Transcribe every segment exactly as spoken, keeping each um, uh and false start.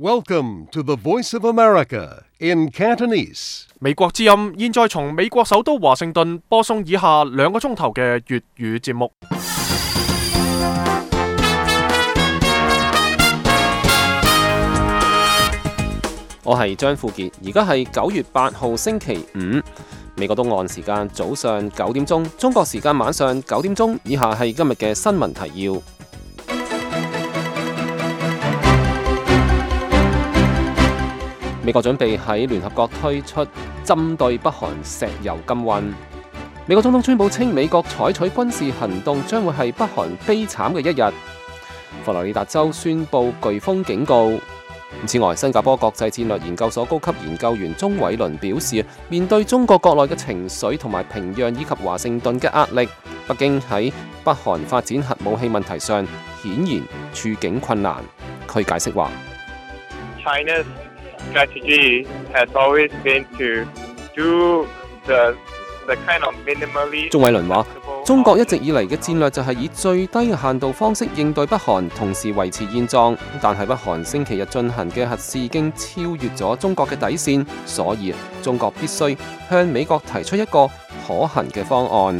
Welcome to the Voice of America in Cantonese. 美國之音現在從美國首都華盛頓播送以下兩個鐘頭嘅粵語節目。我係張富傑，而家係九月八號星期五，美國東岸時間早上九點鐘，中國時間晚上九點鐘。以下係今日嘅新聞提要。美國準備喺聯合國推出針對北韓石油禁運。美國總統川普稱，美國採取軍事行動將會係北韓悲慘嘅一日。佛羅里達州宣布颶風警告。此外，新加坡國際戰略研究所高級研究員鍾偉倫表示，面對中國國內嘅情緒同埋平壤以及華盛頓嘅壓力，北京喺北韓發展核武器問題上顯然處境困難。佢解釋話China's strategy has always been to do the the kind of minimally。鍾偉倫話：中國一直以嚟嘅戰略就係以最低嘅限度方式應對北韓，同時維持現狀。但係北韓星期日進行嘅核試已經超越咗中國嘅底線，所以中國必須向美國提出一個可行嘅方案。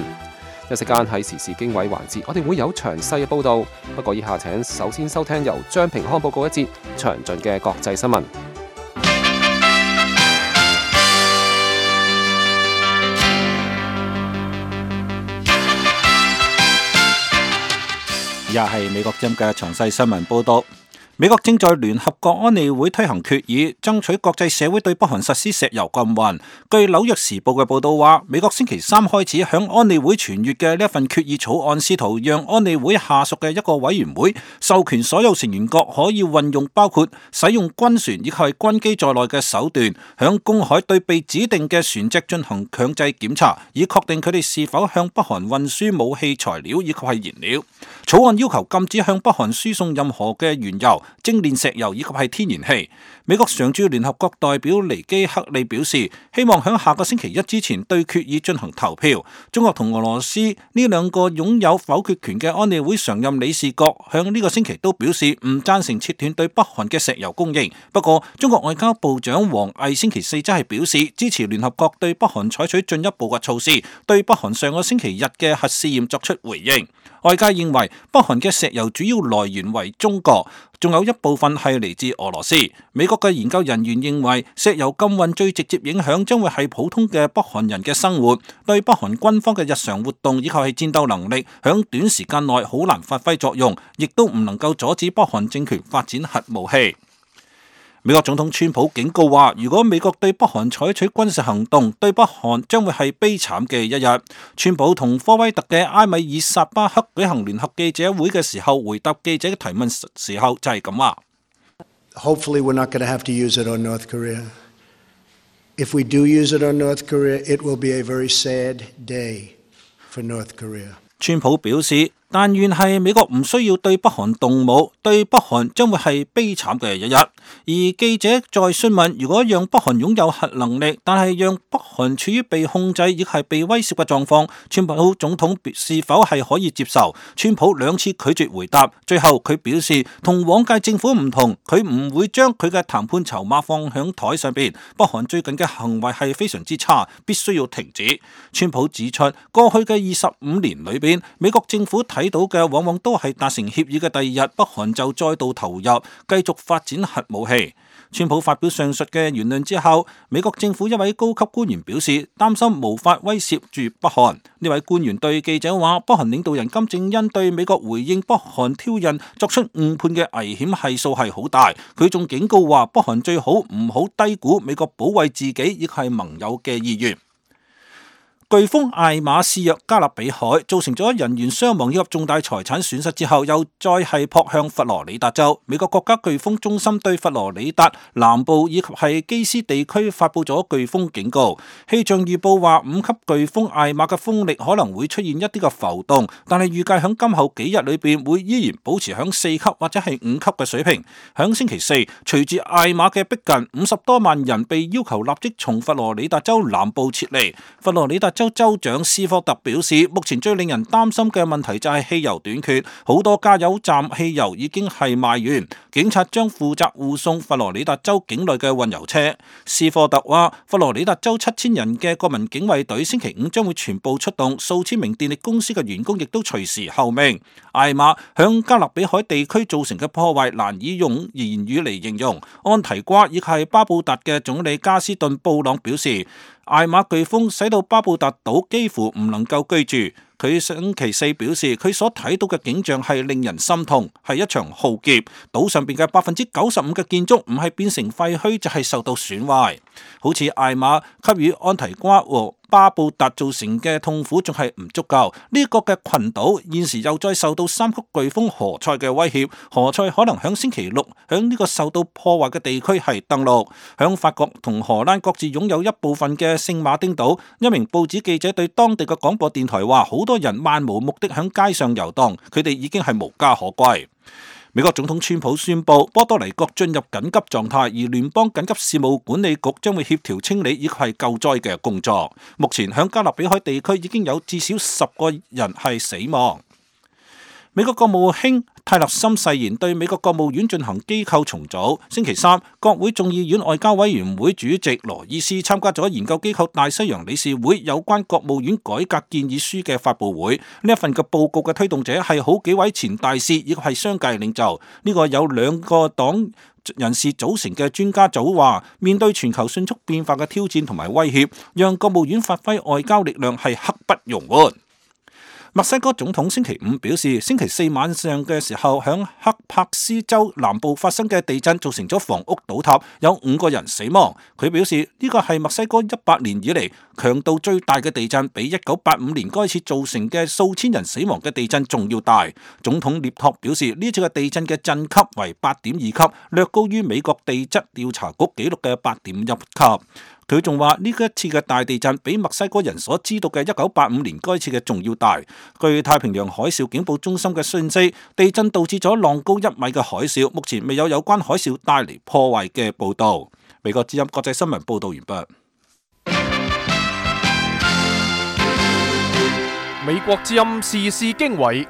一時間喺時事經緯環節，我哋會有詳細嘅報導。不過以下請首先收聽由張平康報告一節詳盡嘅國際新聞。以下係美國之音嘅詳細新聞報道。美國正在聯合國安理會推行決議，爭取國際社會對北韓實施石油禁運。據紐約時報嘅報道話，美國星期三開始向安理會傳閱嘅呢一份決議草案，試圖讓安理會下屬嘅一個委員會授權所有成員國可以運用包括使用軍船以及係軍機在內嘅手段，響公海對被指定嘅船隻進行強制檢查，以確定佢哋是否向北韓運輸武器材料以及係燃料。草案要求禁止向北韓輸送任何嘅原油、精煉石油以及係天然氣。美國常駐聯合國代表尼基克利表示，希望喺下個星期一之前對決議進行投票。中國同俄羅斯呢兩個擁有否決權嘅安理會常任理事國響呢個星期都表示唔贊成切斷對北韓嘅石油供應。不過，中國外交部長王毅星期四則係表示支持聯合國對北韓採取進一步嘅措施，對北韓上個星期日嘅核試驗作出回應。外界認為北韓嘅石油主要來源為中國，仲有一部分係嚟自俄羅斯。美國嘅研究人員認為，石油禁運最直接影響將會係普通嘅北韓人嘅生活，對北韓軍方嘅日常活動以及係戰鬥能力，響短時間內好難發揮作用，亦都唔能夠阻止北韓政權發展核武器。美國總統川普警告話，如果美國對北韓採取軍事行動，對北韓將會係悲慘嘅一日。川普同科威特嘅埃米爾薩巴克舉行聯合記者會嘅時候，回答記者嘅提問時候就係咁話。Hopefully we're not going to have to use it on North Korea. If we do use it on North Korea, it will be a very sad day for North Korea. 川普表示，但願係美國唔需要對北韓動武，對北韓將會係悲慘嘅一日。而記者再詢問，如果讓北韓擁有核能力，但係讓北韓處於被控制亦係被威脅嘅狀況，川普總統是否係可以接受？川普兩次拒絕回答，最後佢表示同往屆政府唔同，佢唔會將佢嘅談判籌碼放響台上邊。北韓最近嘅行為係非常之差，必須要停止。川普指出，過去嘅二十五年裏邊，美國政府睇到嘅往往都係達成協議嘅第二日，北韓就再度投入，繼續發展核武器。川普發表上述嘅言論之後，美國政府一位高級官員表示擔心無法威懾住北韓。呢位官員對記者話，北韓領導人金正恩對美國回應北韓挑釁作出誤判嘅危險係數係好大。佢仲警告話，北韓最好唔好低估美國保衛自己亦係盟友嘅意願。颶風艾瑪肆虐加勒比海，造成咗人員傷亡以及重大財產損失之後，又再係撲向佛羅里達州。美國國家颶風中心對佛羅里達南部以及係基斯地區發佈咗颶風警告。氣象預報話，五級颶風艾瑪嘅風力可能會出現一啲嘅浮動，但係預計響今後幾日裏邊會依然保持響四級或者係五級嘅水平。響星期四，隨住艾瑪嘅逼近，五十多萬人被要求立即從佛羅里達州南部撤離。佛羅里達州州州長斯科特表示，目前最令人擔心嘅問題就係汽油短缺，好多加油站汽油已經係賣完，警察將負責護送佛羅里達州境內嘅運油車。斯科特話，佛羅里達州七千人嘅國民警衛隊星期五將會全部出動，數千名電力公司嘅員工亦都隨時候命。艾瑪響加勒比海地區造成嘅破壞難以用言語嚟形容。安提瓜亦係巴布達嘅總理加斯頓布朗表示，艾瑪颶風使到巴布達島幾乎唔能夠居住。佢星期四表示，佢所睇到嘅景象係令人心痛，係一場浩劫。島上邊嘅百分之九十五嘅建築唔係變成廢墟，就係受到損壞。好似艾瑪給予安提瓜和巴布達造成嘅痛苦仲係唔足夠。呢個嘅群島現時又再受到三級颶風何塞嘅威脅，何塞可能響星期六響呢個受到破壞嘅地區係登陸。響法國同荷蘭各自擁有一部分嘅聖馬丁島，一名報紙記者對當地嘅廣播電台話，好多人漫無目的響街上遊蕩，佢哋已經係無家可歸。美國總統川普宣布波多黎各進入緊急狀態，而聯邦緊急事務管理局將會協調清理以及係救災嘅工作。目前響加勒比海地區已經有至少十個人係死亡。美國國務卿泰勒森誓言對美國國務院進行機構重組。星期三，國會眾議院外交委員會主席羅伊斯參加咗研究機構大西洋理事會有關國務院改革建議書嘅發佈會。呢一份嘅報告嘅推動者係好幾位前大使，亦係商界領袖。呢個有兩個黨人士組成嘅專家組話，面對全球迅速變化嘅挑戰同埋威脅，讓國務院發揮外交力量係刻不容緩。墨西哥總統星期五表示，星期四晚上嘅時候，響克帕斯州南部發生嘅地震造成咗房屋倒塌，有五個人死亡。佢表示呢個係墨西哥一百年以嚟強度最大嘅地震，比一九八五年嗰次造成嘅數千人死亡嘅地震仲要大。總統涅托表示，呢次嘅地震嘅震級為八點二級，略高於美國地質調查局紀錄嘅八點一級。佢仲話呢一次嘅大地震比墨西哥人所知道嘅一九八五年該次嘅仲要大。據太平洋海嘯警報中心嘅訊息，地震導致咗浪高一米嘅海嘯，目前未有有關海嘯帶嚟破壞嘅報道。美國之音國際新聞報道完畢。美國之音時事經緯。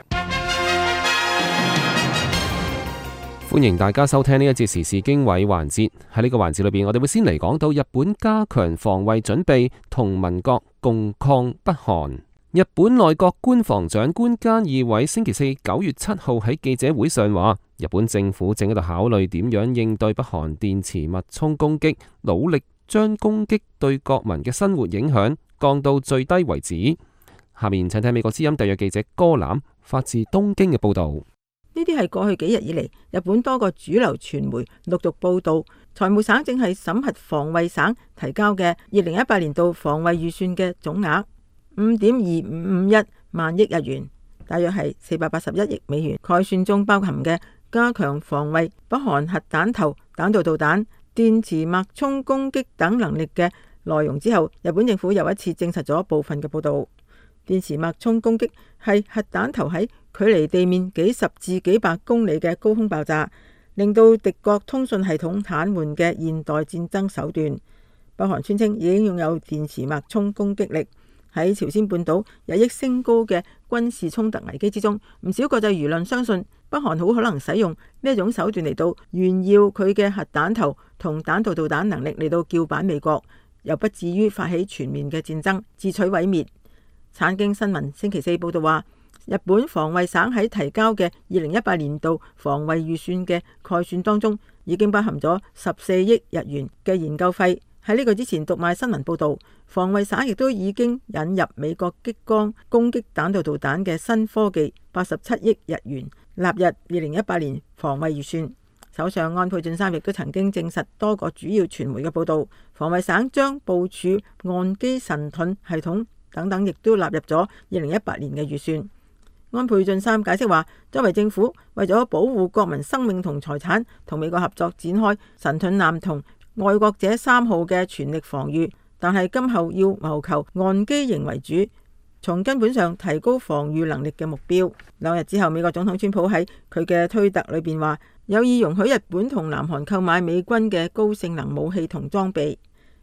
歡迎大家收聽呢一節時事經緯環節。喺呢個環節裏邊，我哋會先嚟講到日本加強防衛準備，同盟國共抗北韓。日本內閣官房長官菅義偉星期四九月七號喺記者會上話，日本政府正喺度考慮點樣應對北韓電磁脈衝攻擊，努力將攻擊對國民嘅生活影響降到最低為止。下面請睇美國之音特約記者歌藍發自東京嘅報道。呢啲係過去幾日以嚟，日本多個主流傳媒陸續報道，財務省正係審核防衛省提交嘅二零一八年度防衛預算嘅總額五點二五五一萬億日元，大約係四百八十一億美元。概算中包含嘅加強防衛北韓核彈頭、彈道導彈、電磁脈衝攻擊等能力嘅內容之後，日本政府又一次證實咗部分嘅報道。電磁脈衝攻擊係核彈頭喺距離地面幾十至幾百公里嘅高空爆炸，令到敵國通訊系統癱瘓嘅現代戰爭手段。北韓宣稱已經擁有電磁脈衝攻擊力。喺朝鮮半島日益升高嘅軍事衝突危機之中，唔少國際輿論相信北韓好可能使用呢一種手段嚟到炫耀佢嘅核彈頭同彈道導彈能力，嚟到叫板美國，又不至於發起全面嘅戰爭，自取毀滅。產經新聞星期四報道話，日本防衛省喺提交嘅二零一八年度防衛預算嘅概算當中，已經包含咗十四億日元嘅研究費。喺呢個之前，讀賣新聞報道，防衛省亦都已經引入美國激光攻擊彈道導彈嘅新科技，八十七億日元納入二零一八年防衛預算。首相安倍晉三亦都曾經證實多個主要傳媒嘅報道，防衛省將部署岸基神盾系統等等，亦都納入咗二零一八年嘅預算。安倍晉三解釋話，作為政府為咗保護國民生命同財產，同美國合作展開神盾艦同愛國者三號嘅全力防禦，但係今後要謀求岸基型為主，從根本上提高防禦能力嘅目標。兩日之後，美國總統川普喺佢嘅推特裏邊話，有意容許日本同南韓購買美軍嘅高性能武器同裝備。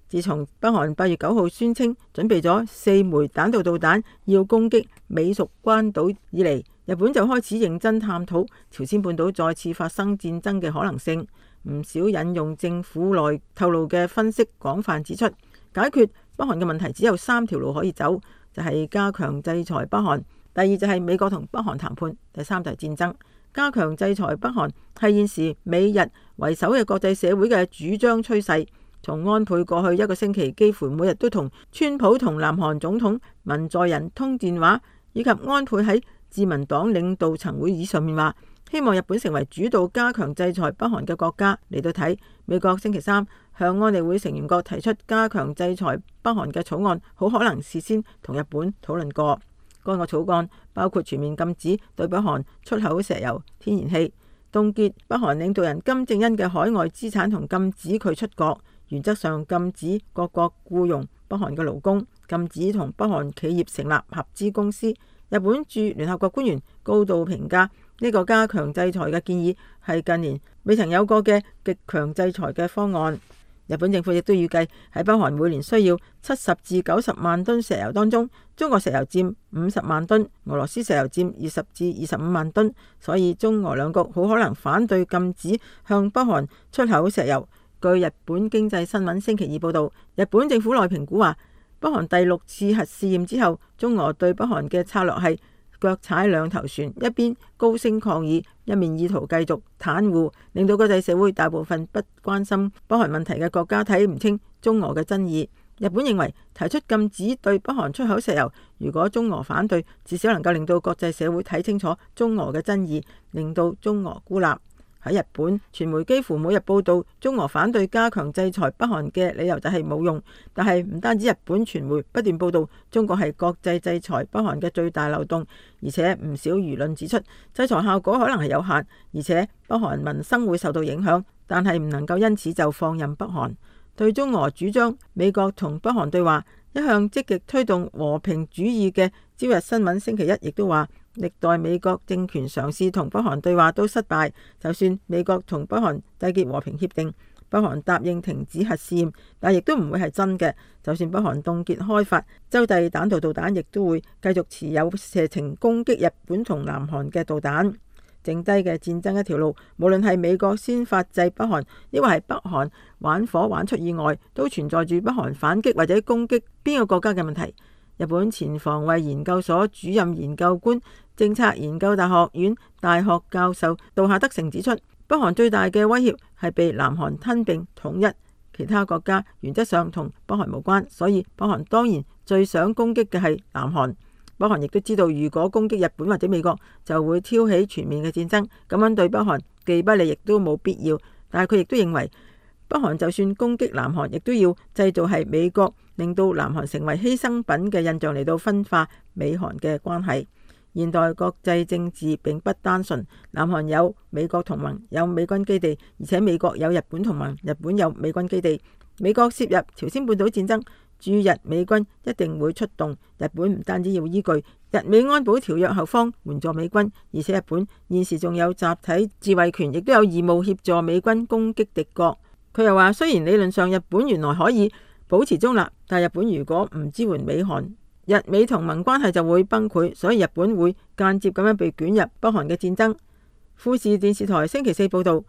自從北韓八月九號宣稱準備咗四枚彈道導彈要攻擊美屬關島以嚟，日本就開始認真探討朝鮮半島再次發生戰爭嘅可能性。唔少引用政府內透露嘅分析，廣泛指出，解決北韓嘅問題只有三條路可以走，就係加強制裁北韓，第二就係美國同北韓談判，第三就係戰爭。加強制裁北韓係現時美日為首嘅國際社會嘅主張趨勢。從安倍過去一個星期幾乎每日都同川普同南韓總統文在寅通電話，以及安倍喺自民黨領導層會議上面話希望日本成為主導加強制裁北韓嘅國家嚟到睇，美國星期三向安理會成員國提出加強制裁北韓嘅草案，好可能事先同日本討論過。該個草案包括全面禁止對北韓出口石油、天然氣，凍結北韓領導人金正恩嘅海外資產同禁止佢出國，原則上禁止各國僱傭北韓嘅勞工，禁止同北韓企業成立合資公司。日本駐聯合國官員高度評價呢個加強制裁嘅建議係近年未曾有過嘅極強制裁嘅方案。日本政府亦都預計喺北韓每年需要七十至九十萬噸石油當中，中國石油佔五十萬噸，俄羅斯石油佔二十至二十五萬噸，所以中俄兩國好可能反對禁止向北韓出口石油。據日本經濟新聞星期二報道，日本政府內評估話，北韓第六次核試驗之後，中俄對北韓嘅策略係腳踩兩頭船，一邊高聲抗議，一面意圖繼續袒護，令到國際社會大部分不關心北韓問題嘅國家睇唔清中俄嘅爭議。日本認為提出禁止對北韓出口石油，如果中俄反對，至少能夠令到國際社會睇清楚中俄嘅爭議，令到中俄孤立。喺日本，傳媒幾乎每日報道中俄反對加強制裁北韓嘅理由就係冇用，但係唔單止日本傳媒不斷報道中國係國際制裁北韓嘅最大漏洞，而且唔少輿論指出制裁效果可能係有限，而且北韓民生會受到影響，但係唔能夠因此就放任北韓。對中俄主張美國同北韓對話，一向積極推動和平主義嘅朝日新聞星期一亦都話，歷代美國政權嘗試同北韓對話都失敗，就算美國同北韓締結和平協定，北韓答應停止核試驗，但亦都唔會係真嘅。就算北韓凍結開發洲際彈道導彈，亦都會繼續持有射程攻擊日本同南韓嘅導彈。剩低嘅戰爭一條路，無論係美國先發制北韓，抑或係北韓玩火玩出意外，都存在住北韓反擊或者攻擊邊個國家嘅問題。日本前防衛研究所主任研究官、政策研究大學院大學教授杜夏德成指出，北韓最大嘅威脅係被南韓吞併統一，其他國家原則上同北韓無關，所以北韓當然最想攻擊嘅係南韓。北韓亦都知道，如果攻擊日本或者美國，就會挑起全面嘅戰爭，咁樣對北韓既不利亦都冇必要。但係佢亦都認為，北韓就算攻擊南韓，亦都要製造係美國令到南韓成為犧牲品嘅印象嚟到分化美韓嘅關係。現代國際政治並不單純，南韓有美國同盟，有美軍基地，而且美國有日本同盟，日本有美軍基地。美國涉入朝鮮半島戰爭，駐日美軍一定會出動。日本唔單止要依據日美安保條約後方援助美軍，而且日本現時仲有集體自衛權，亦都有義務協助美軍攻擊敵國。佢又話，雖然理論上日本原來可以保持中立，但日本如果唔支援美韓，日美同盟關係就會崩潰，所以日本會間接咁樣被捲入北韓嘅戰爭。富士電視台星期四報道，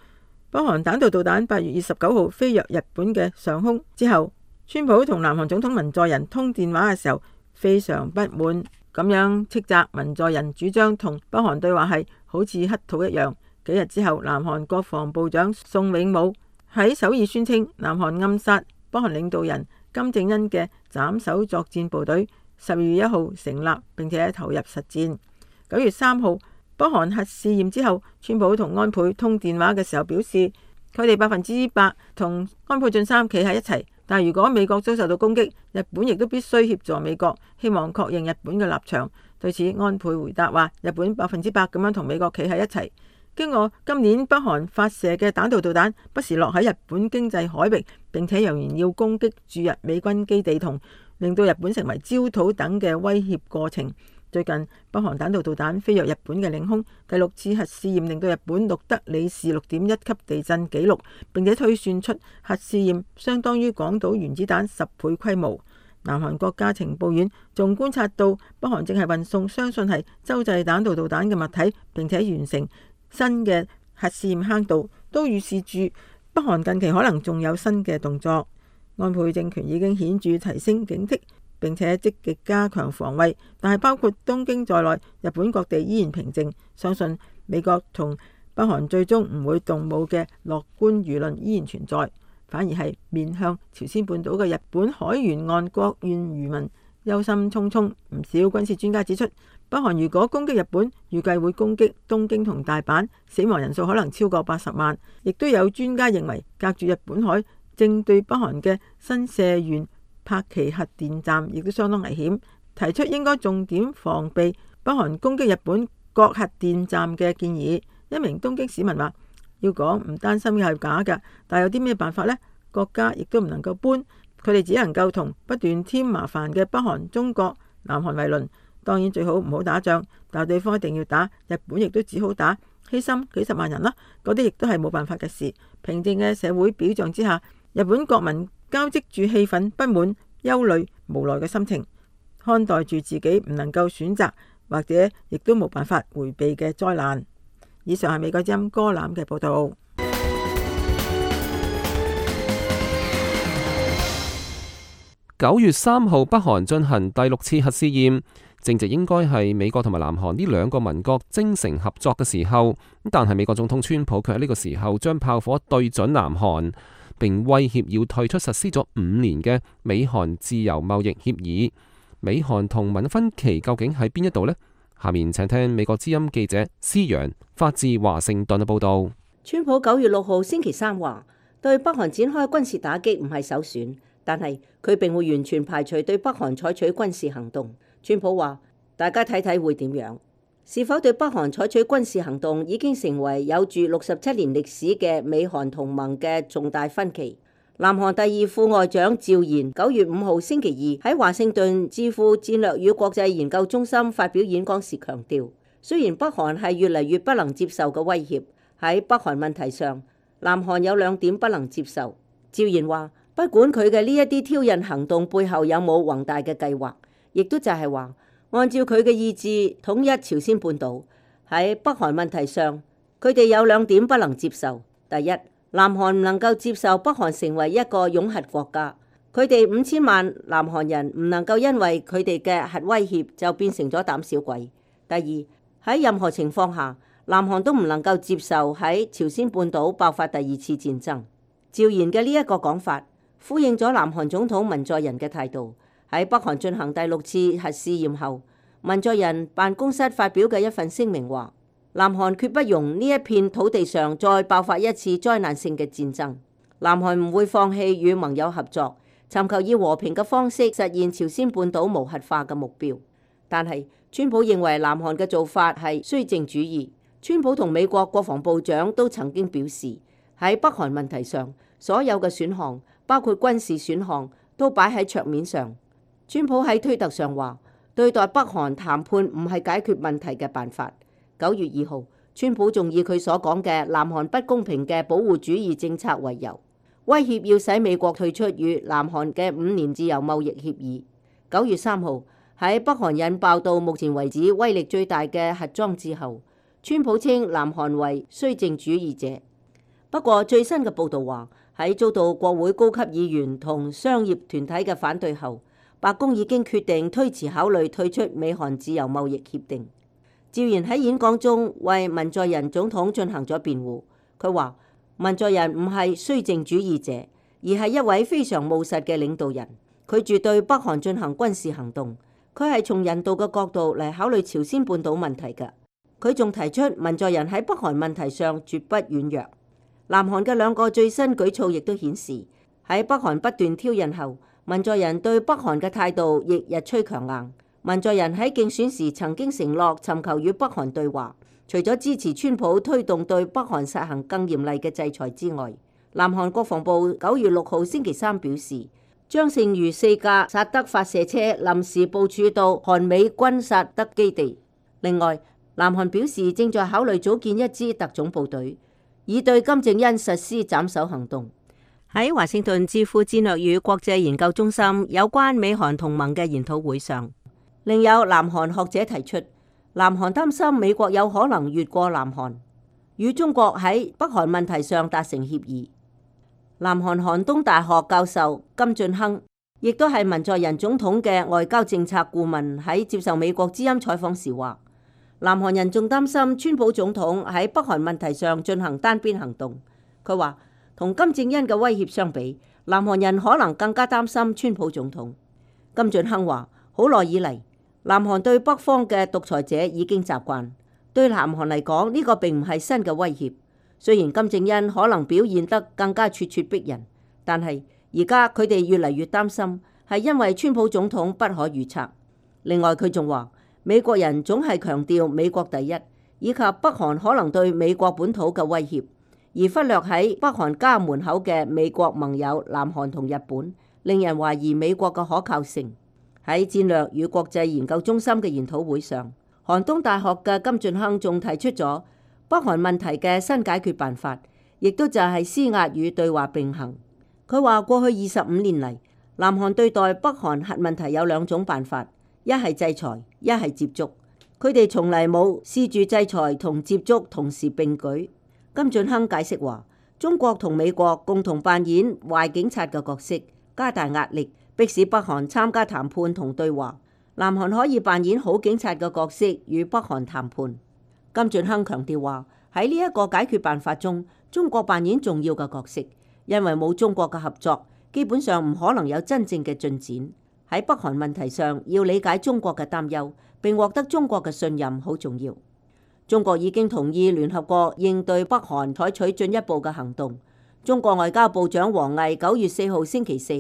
北韓彈道導彈八月二十九號飛越日本嘅上空之後，川普同南韓總統文在寅通電話嘅時候非常不滿，咁樣斥責文在寅主張同北韓對話係好似乞討一樣。幾日之後，南韓國防部長宋永武喺首爾宣稱，南韓暗殺北韓領導人金正恩嘅斬首作戰部隊十二月一號成立，並且投入實戰。九月三號，北韓核試驗之後，川普同安倍通電話嘅時候表示，佢哋百分之百同安倍晉三企喺一齊，但如果美國遭受到攻擊，日本亦都必須協助美國，希望確認日本嘅立場。對此，安倍回答話，日本百分之百咁樣同美國企喺一齊。經過今年北韓發射嘅彈道導彈不時落喺日本經濟海域，並且揚言要攻擊駐日美軍基地同令到日本成為焦土等嘅威脅過程，最近北韓彈道導彈飛越日本嘅領空，第六次核試驗令到日本錄得里氏六點一級地震紀錄，並且推算出核試驗相當於廣島原子彈十倍規模。南韓國家情報院仲觀察到北韓正係運送相信係洲際彈道導彈嘅物體，並且完成新嘅核試驗坑道，都預示住北韓近期可能仲有新嘅動作。安倍政權已經顯著提升警惕，並且積極加強防衛，但係包括東京在內，日本各地依然平靜，相信美國同北韓最終唔會動武嘅樂觀輿論依然存在，反而係面向朝鮮半島嘅日本海沿岸國縣漁民憂心忡忡。唔少軍事專家指出，北韓如果攻擊日本，預計會攻擊東京同大阪，死亡人數可能超過八十萬。亦都有專家認為，隔住日本海正對北韓嘅新社縣柏崎核電站亦都相當危險，提出應該重點防備北韓攻擊日本各核電站嘅建議。一名東京市民話：要講唔擔心嘅係假㗎，但係有啲咩辦法呢？國家亦都唔能夠搬，佢哋只能夠同不斷添麻煩嘅北韓、中國、南韓為鄰。當然最好唔好打仗，但係對方一定要打，日本亦都只好打，犧牲幾十萬人啦，嗰啲亦都係冇辦法嘅事。平靜嘅社會表象之下，日本國民交織住氣憤、不滿、憂慮、無奈嘅心情，看待住自己唔能夠選擇或者亦都冇辦法迴避嘅災難。以上係美國之音歌欖嘅報道。九月三號，北韓進行第六次核試驗，正值應該係美國同埋南韓呢兩個盟國精誠合作嘅時候。但係美國總統川普卻喺呢個時候將炮火對準南韓，並威脅要退出實施咗五年嘅美韓自由貿易協議。美韓同盟分歧究竟喺邊一度呢？下面請聽美國之音記者施陽發自華盛頓嘅報道。川普九月六號星期三話，對北韓展開軍事打擊唔係首選，但係佢並會完全排除對北韓採取軍事行動。川普話：大家睇睇會點樣？是否對北韓採取軍事行動已經成為有住六十七年歷史嘅美韓同盟嘅重大分歧。南韓第二副外長趙賢九月五號星期二喺華盛頓智庫戰略與國際研究中心發表演講時強調，雖然北韓係越嚟越不能接受嘅威脅，喺北韓問題上，南韓有兩點不能接受。趙賢話：不管佢嘅呢一啲挑釁行動背後有冇宏大嘅計劃，亦都就係話，按照佢嘅意志統一朝鮮半島。喺北韓問題上，佢哋有兩點不能接受。第一，南韓唔能夠接受北韓成為一個擁核國家，佢哋五千萬南韓人唔能夠因為佢哋嘅核威脅就變成咗膽小鬼。第二，喺任何情況下，南韓都唔能夠接受喺朝鮮半島爆發第二次戰爭。趙賢嘅呢一個講法呼應咗南韓總統文在寅嘅態度。喺北韓進行第六次核試驗後，文在寅辦公室發表嘅一份聲明話：南韓決不容呢一片土地上再爆發一次災難性嘅戰爭。南韓唔會放棄與盟友合作，尋求以和平嘅方式實現朝鮮半島無核化嘅目標。但係川普認為南韓嘅做法係綏靖主義。川普同美國國防部長都曾經表示，喺北韓問題上，所有嘅選項，包括軍事選項，都擺喺桌面上。川普喺推特上話：對待北韓談判唔係解決問題嘅辦法。九月二號，川普仲以佢所講嘅南韓不公平嘅保護主義政策為由，威脅要使美國退出與南韓嘅五年自由貿易協議。九月三號，喺北韓引爆到目前為止威力最大嘅核裝置後，川普稱南韓為綏靖主義者。不過最新嘅報導話，喺遭到國會高級議員同商業團體嘅反對後，白宮已經決定推遲考慮退出美韓自由貿易協定。趙賢喺演講中為文在寅總統進行咗辯護。佢話：文在寅唔係綏靖主義者，而係一位非常務實嘅領導人。佢絕對北韓進行軍事行動，佢係從人道嘅角度嚟考慮朝鮮半島問題嘅。佢仲提出文在寅喺北韓問題上絕不軟弱。南韓嘅兩個最新舉措亦都顯示，喺北韓不斷挑釁後，文在寅對北韓嘅態度亦日趨強硬。文在寅喺競選時曾經承諾尋求與北韓對話，除咗支持川普推動對北韓實行更嚴厲嘅制裁之外，南韓國防部九月六號星期三表示，將剩餘四架薩德發射車臨時部署到韓美軍薩德基地。另外，南韓表示正在考慮組建一支特種部隊，以對金正恩實施斬首行動。喺華盛頓智庫戰略與國際研究中心有關美韓同盟嘅研討會上，另有南韓學者提出，南韓擔心美國有可能越過南韓，與中國喺北韓問題上達成協議。南韓韓東大學教授金俊亨，亦都係文在寅總統嘅外交政策顧問，喺接受美國之音採訪時話，南韓人仲擔心川普總統喺北韓問題上進行單邊行動。佢話同金正恩嘅威脅相比，南韓人可能更加擔心川普總統。金俊亨話，好耐以嚟，南韓對北方嘅獨裁者已經習慣，對南韓嚟講呢個並唔係新嘅威脅。雖然金正恩可能表現得更加咄咄逼人，但係而家佢哋越嚟越擔心，係因為川普總統不可預測。另外佢仲話，美國人總係強調美國第一，以及北韓可能對美國本土嘅威脅，而忽略喺北韓家門口嘅美國盟友南韓同日本，令人懷疑美國嘅可靠性。喺戰略與國際研究中心嘅研討會上，韓東大學嘅金俊亨仲提出咗北韓問題嘅新解決辦法，亦都就係施壓與對話並行。佢話過去二十五年嚟，南韓對待北韓核問題有兩種辦法，一係制裁，一係接觸。佢哋從嚟冇試住制裁同接觸同時並舉。金俊亨解釋話，中國同美國共同扮演壞警察嘅角色，加大壓力，迫使北韓參加談判同對話。南韓可以扮演好警察嘅角色，與北韓談判。金俊亨強調話，喺呢一個解決辦法中，中國扮演重要嘅角色，因為冇中國嘅合作，基本上唔可能有真正嘅進展。喺北韓問題上，要理解中國嘅擔憂，並獲得中國嘅信任好重要。中國已經同意聯合國應對北韓採取進一步嘅行動。中國外交部長王毅九月四號星期四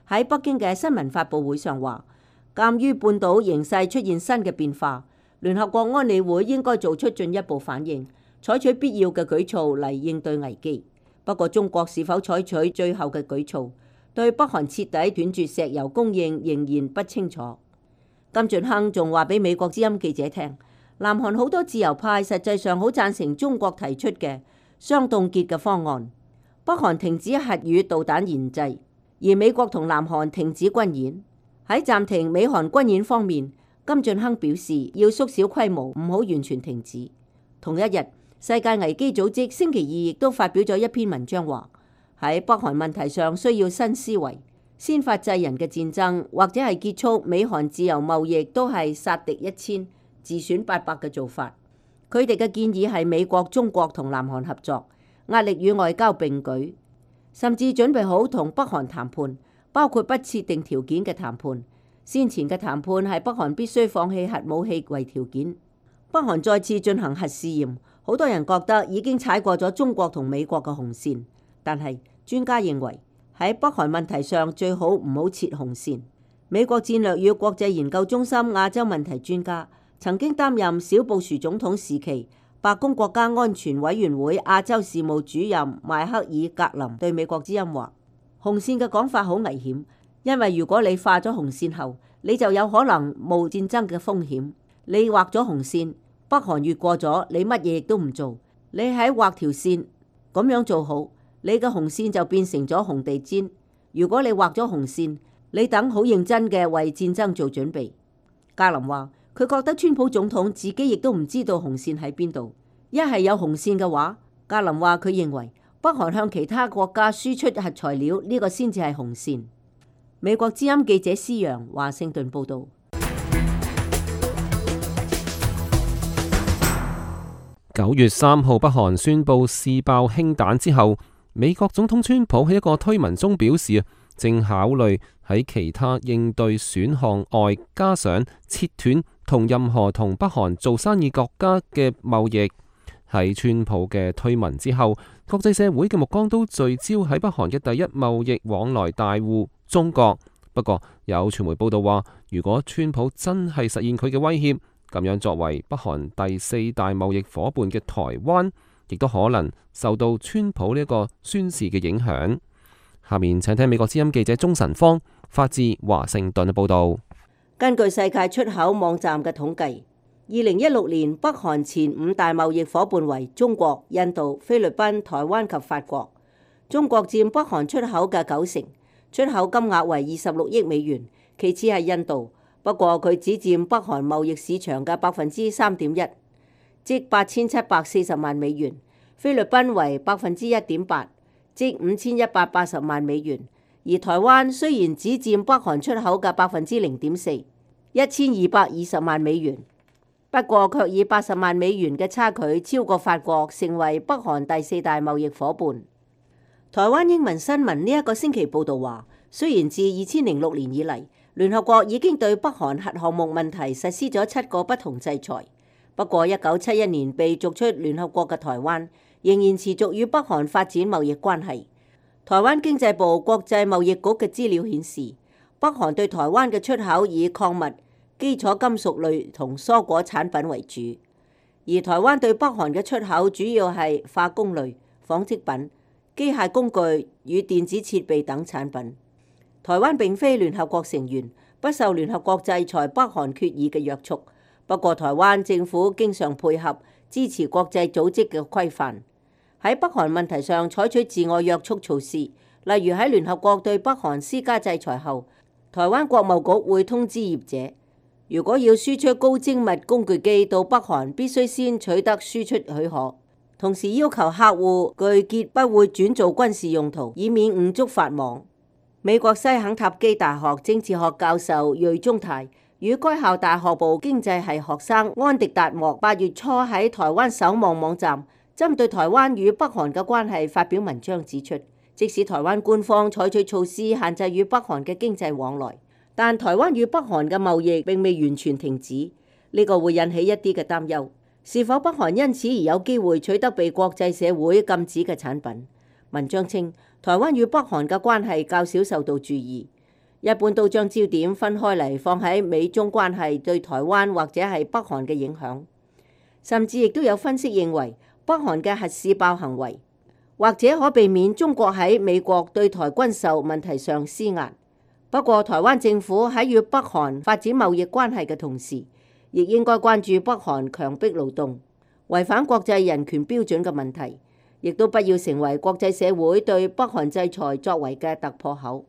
喺北京嘅新聞發佈會上話，鑑於半島形勢出現新嘅變化，聯合國安理會應該做出進一步反應，採取必要嘅舉措嚟應對危機。不過中國是否採取最後嘅舉措，對北韓徹底斷絕石油供應仍然不清楚。金俊亨仲話俾美國之音記者聽，南韓好多自由派實際上好贊成中國提出嘅雙凍結嘅方案，北韓停止核與導彈研製，而美國同南韓停止軍演。喺暫停美韓軍演方面，金俊亨表示要縮小規模，唔好完全停止。同一日，世界危機組織星期二亦都發表咗一篇文章，話喺北韓問題上需要新思維，先發制人嘅戰爭或者係結束美韓自由貿易都係殺敵一千自損八百嘅做法。佢哋嘅建議係美國、中國同南韓合作，壓力與外交並舉，甚至準備好同北韓談判，包括不設定條件嘅談判。先前嘅談判係北韓必須放棄核武器為條件。北韓再次進行核試驗，好多人覺得已經踩過咗中國同美國嘅紅線，但係專家認為喺北韓問題上最好唔好設紅線。美國戰略與國際研究中心亞洲問題專家，曾經擔任小布殊總統時期白宮國家安全委員會亞洲事務主任邁克爾格林對美國之音話，紅線嘅講法好危險，因為如果你畫咗紅線後，你就有可能冒戰爭嘅風險。你畫咗紅線，北韓越過咗，你乜嘢亦都唔做。你喺畫條線咁樣做好，你嘅紅線就變成咗紅地氈。如果你畫咗紅線，你等好認真嘅為戰爭做準備。格林話，佢覺得川普總統自己亦都唔知道紅線喺邊度。一係有紅線嘅話，格林話佢認為北韓向其他國家輸出核材料呢個先至係紅線。美國之音記者施揚華盛頓報道。九月三號，北韓宣布試爆氫彈之後，美國總統川普喺一個推文中表示，正考慮喺其他應對選項外，加上切斷同任何同北韓做生意國家嘅貿易。喺川普嘅推文之後，國際社會嘅目光都聚焦喺北韓嘅第一貿易往來大戶中國。不過有傳媒報道話，如果川普真係實現佢嘅威脅，咁樣作為北韓第四大貿易夥伴嘅台灣，亦都可能受到川普呢一個宣示嘅影響。下面請聽美國之音記者鍾晨芳發自華盛頓嘅報導。根據世界出口網站嘅統計，二零一六年北韓前五大貿易夥伴為中國、印度、菲律賓、台灣及法國。中國佔北韓出口嘅九成，出口金額為二十六億美元，其次係印度，不過佢只佔北韓貿易市場嘅百分之三點一，即八千七百四十萬美元。菲律賓為百分之一點八，即五千一百八十萬美元。而台灣雖然只佔北韓出口嘅百分之零點四，一千二百二十萬美元，不過卻以八十萬美元嘅差距超過法國，成為北韓第四大貿易夥伴。台灣英文新聞呢一個星期報導話，雖然自二千零六年以嚟，聯合國已經對北韓核項目問題實施咗七個不同制裁，不過一九七一年被逐出聯合國嘅台灣，仍然持續與北韓發展貿易關係。台灣經濟部國際貿易局嘅資料顯示，北韓對台灣嘅出口以礦物、基礎金屬類同蔬果產品為主，而台灣對北韓嘅出口主要係化工類、紡織品、機械工具與電子設備等產品。台灣並非聯合國成員，不受聯合國制裁北韓決議嘅約束。不過台灣政府經常配合支持國際組織嘅規範，喺北韓問題上採取自我約束措施。例如喺聯合國對北韓施加制裁後，台灣國貿局會通知業者，如果要輸出高精密工具機到北韓，必須先取得輸出許可。同時要求客戶具結不會轉做軍事用途，以免誤觸法網。美國西肯塔基大學政治學教授瑞中泰與該校大學部經濟系學生安迪達莫八月初喺台灣守望網站針對台灣與北韓嘅關係發表文章，指出即使台灣官方採取措施限制與北韓嘅經濟往來，但台灣與北韓嘅貿易並未完全停止，呢個會引起一啲嘅擔憂。是否北韓因此而有機會取得被國際社會禁止嘅產品？文章稱，台灣與北韓嘅關係較少受到注意，一般都將焦點分開嚟放喺美中關係對台灣或者係北韓嘅影響，甚至亦都有分析認為北韓嘅核試爆行為或者可避免中國喺美國對台軍售問題上施壓。不過，台灣政府喺與北韓發展貿易關係嘅同時，亦應該關注北韓強迫勞動、違反國際人權標準嘅問題，亦都不要成為國際社會對北韓制裁作為嘅突破口。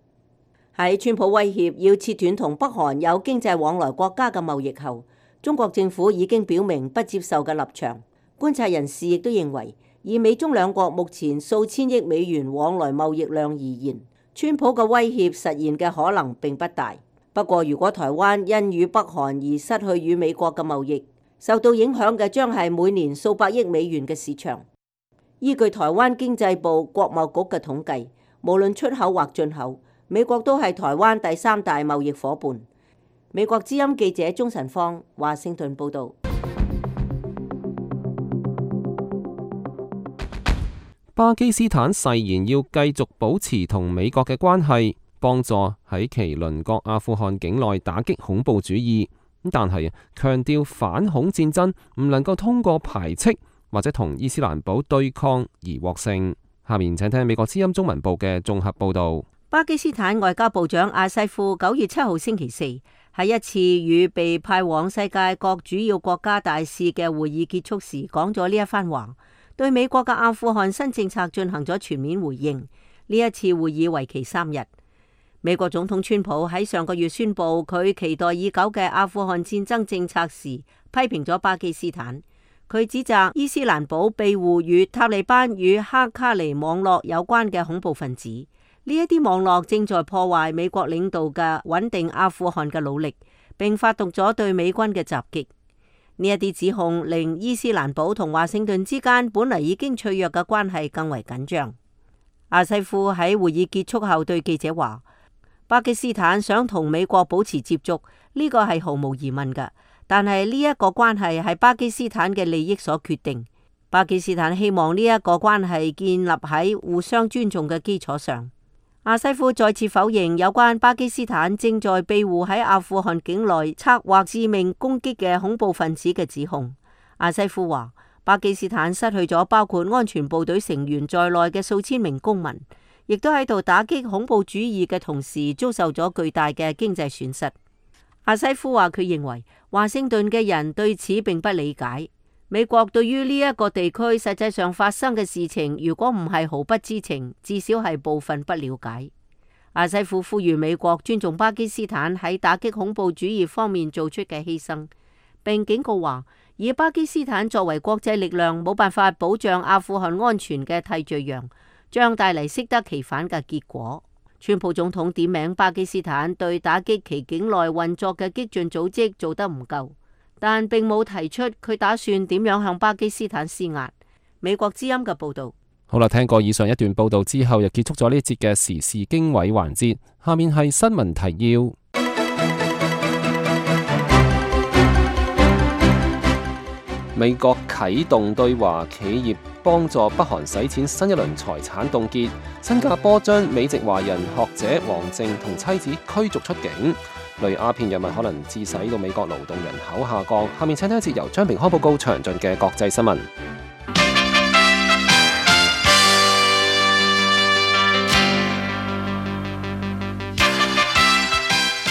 喺川普威脅要切斷同北韓有經濟往來國家嘅貿易後，中國政府已經表明不接受嘅立場。觀察人士亦都認為，以美中兩國目前數千億美元往來貿易量而言，川普嘅威脅實現嘅可能並不大。不過，如果台灣因與北韓而失去與美國嘅貿易，受到影響嘅將係每年數百億美元嘅市場。依據台灣經濟部國貿局嘅統計，無論出口或進口，美國都係台灣第三大貿易夥伴。美國之音記者鍾晨芳，華盛頓報導。巴基斯坦誓言要繼續保持同美國嘅關係，幫助喺其鄰國阿富汗境內打擊恐怖主義，但係強調反恐戰爭唔能夠通過排斥或者同伊斯蘭堡對抗而獲勝。下面請聽美國之音中文部嘅綜合報導。巴基斯坦外交部長阿西夫九月七號星期四喺一次與被派往世界各主要國家大使嘅會議結束時講咗呢一番話，對美國嘅阿富汗新政策進行咗全面回應。呢一次會議為期三日。美國總統川普喺上個月宣布佢期待已久嘅阿富汗戰爭政策時，批評咗巴基斯坦。佢指責伊斯蘭堡庇護與塔利班與哈卡尼網絡有關嘅恐怖分子，呢一啲網絡正在破壞美國領導嘅穩定阿富汗嘅努力，並發動咗對美軍嘅襲擊。呢一啲指控令伊斯蘭堡同華盛頓之間本嚟已經脆弱嘅關係更為緊張。阿西夫喺會議結束後對記者話，巴基斯坦想同美國保持接觸，呢個係毫無疑問嘅。但係呢一個關係係巴基斯坦嘅利益所決定。巴基斯坦希望呢一個關係建立喺互相尊重嘅基礎上。阿西夫再次否認有關巴基斯坦正在庇護喺阿富汗境內策劃致命攻擊嘅恐怖分子嘅指控。阿西夫話，巴基斯坦失去咗包括安全部隊成員在內嘅數千名公民，亦都喺度打擊恐怖主義嘅同時，遭受咗巨大嘅經濟損失。阿西夫話佢認為華盛頓嘅人對此並不理解。美國對於呢一個地區實際上發生嘅事情，如果唔係毫不知情，至少係部分不了解。阿西夫呼籲美國尊重巴基斯坦喺打擊恐怖主義方面做出嘅犧牲，並警告話以巴基斯坦作為國際力量冇辦法保障阿富汗安全嘅替罪羊，將帶嚟適得其反嘅結果。川普總統點名巴基斯坦對打擊其境內運作嘅激進組織做得唔夠，但並冇提出佢打算點樣向巴基斯坦施壓。美國之音嘅報道。好啦，聽過以上一段報道之後，又結束咗呢一節嘅時事經緯環節。下面係新聞提要。美國啟動對華企業幫助北韓洗錢新一輪財產凍結。新加坡將美籍華人學者王靖同妻子驅逐出境。類鴉片藥物可能致使到美國勞動人口下降。下面請聽一節由張平開報告詳盡嘅國際新聞。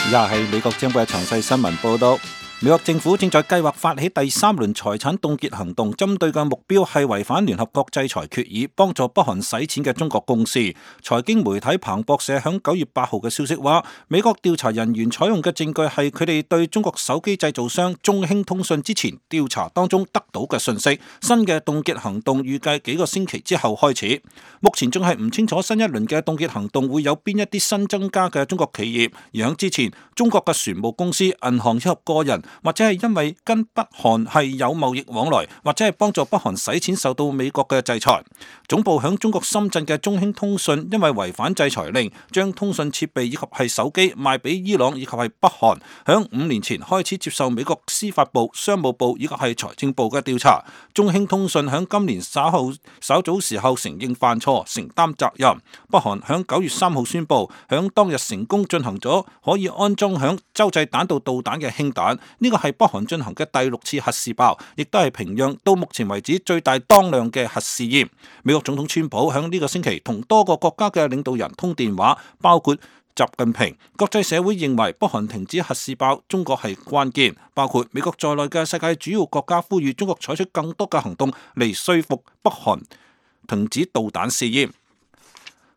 以下係美國政府嘅詳細新聞報道。美國政府正在計劃發起第三輪財產凍結行動，針對嘅目標係違反聯合國制裁決議，幫助北韓洗錢嘅中國公司。財經媒體彭博社響九月八號嘅消息話，美國調查人員採用嘅證據係佢哋對中國手機製造商中興通訊之前調查當中得到嘅信息。新嘅凍結行動預計幾個星期之後開始。目前仲係唔清楚新一輪嘅凍結行動會有邊一啲新增加嘅中國企業，而響之前，中國嘅船務公司、銀行以及個人，或者係因為跟北韓係有貿易往來，或者係幫助北韓洗錢受到美國嘅制裁。總部響中國深圳嘅中興通訊因為違反制裁令，將通訊設備以及係手機賣俾伊朗以及係北韓，響五年前開始接受美國司法部、商務部以及係財政部嘅調查。中興通訊響今年稍後稍早時候承認犯錯，承擔責任。北韓響九月三號宣布，響當日成功進行咗可以安裝響洲際彈道導彈嘅氫彈，呢個係北韓進行嘅第六次核試爆，亦都係平壤到目前為止最大當量嘅核試驗。美國總統川普響呢個星期同多個國家嘅領導人通電話，包括習近平。國際社會認為北韓停止核試爆，中國係關鍵。包括美國在內嘅世界主要國家呼籲中國採取更多嘅行動嚟說服北韓停止導彈試驗。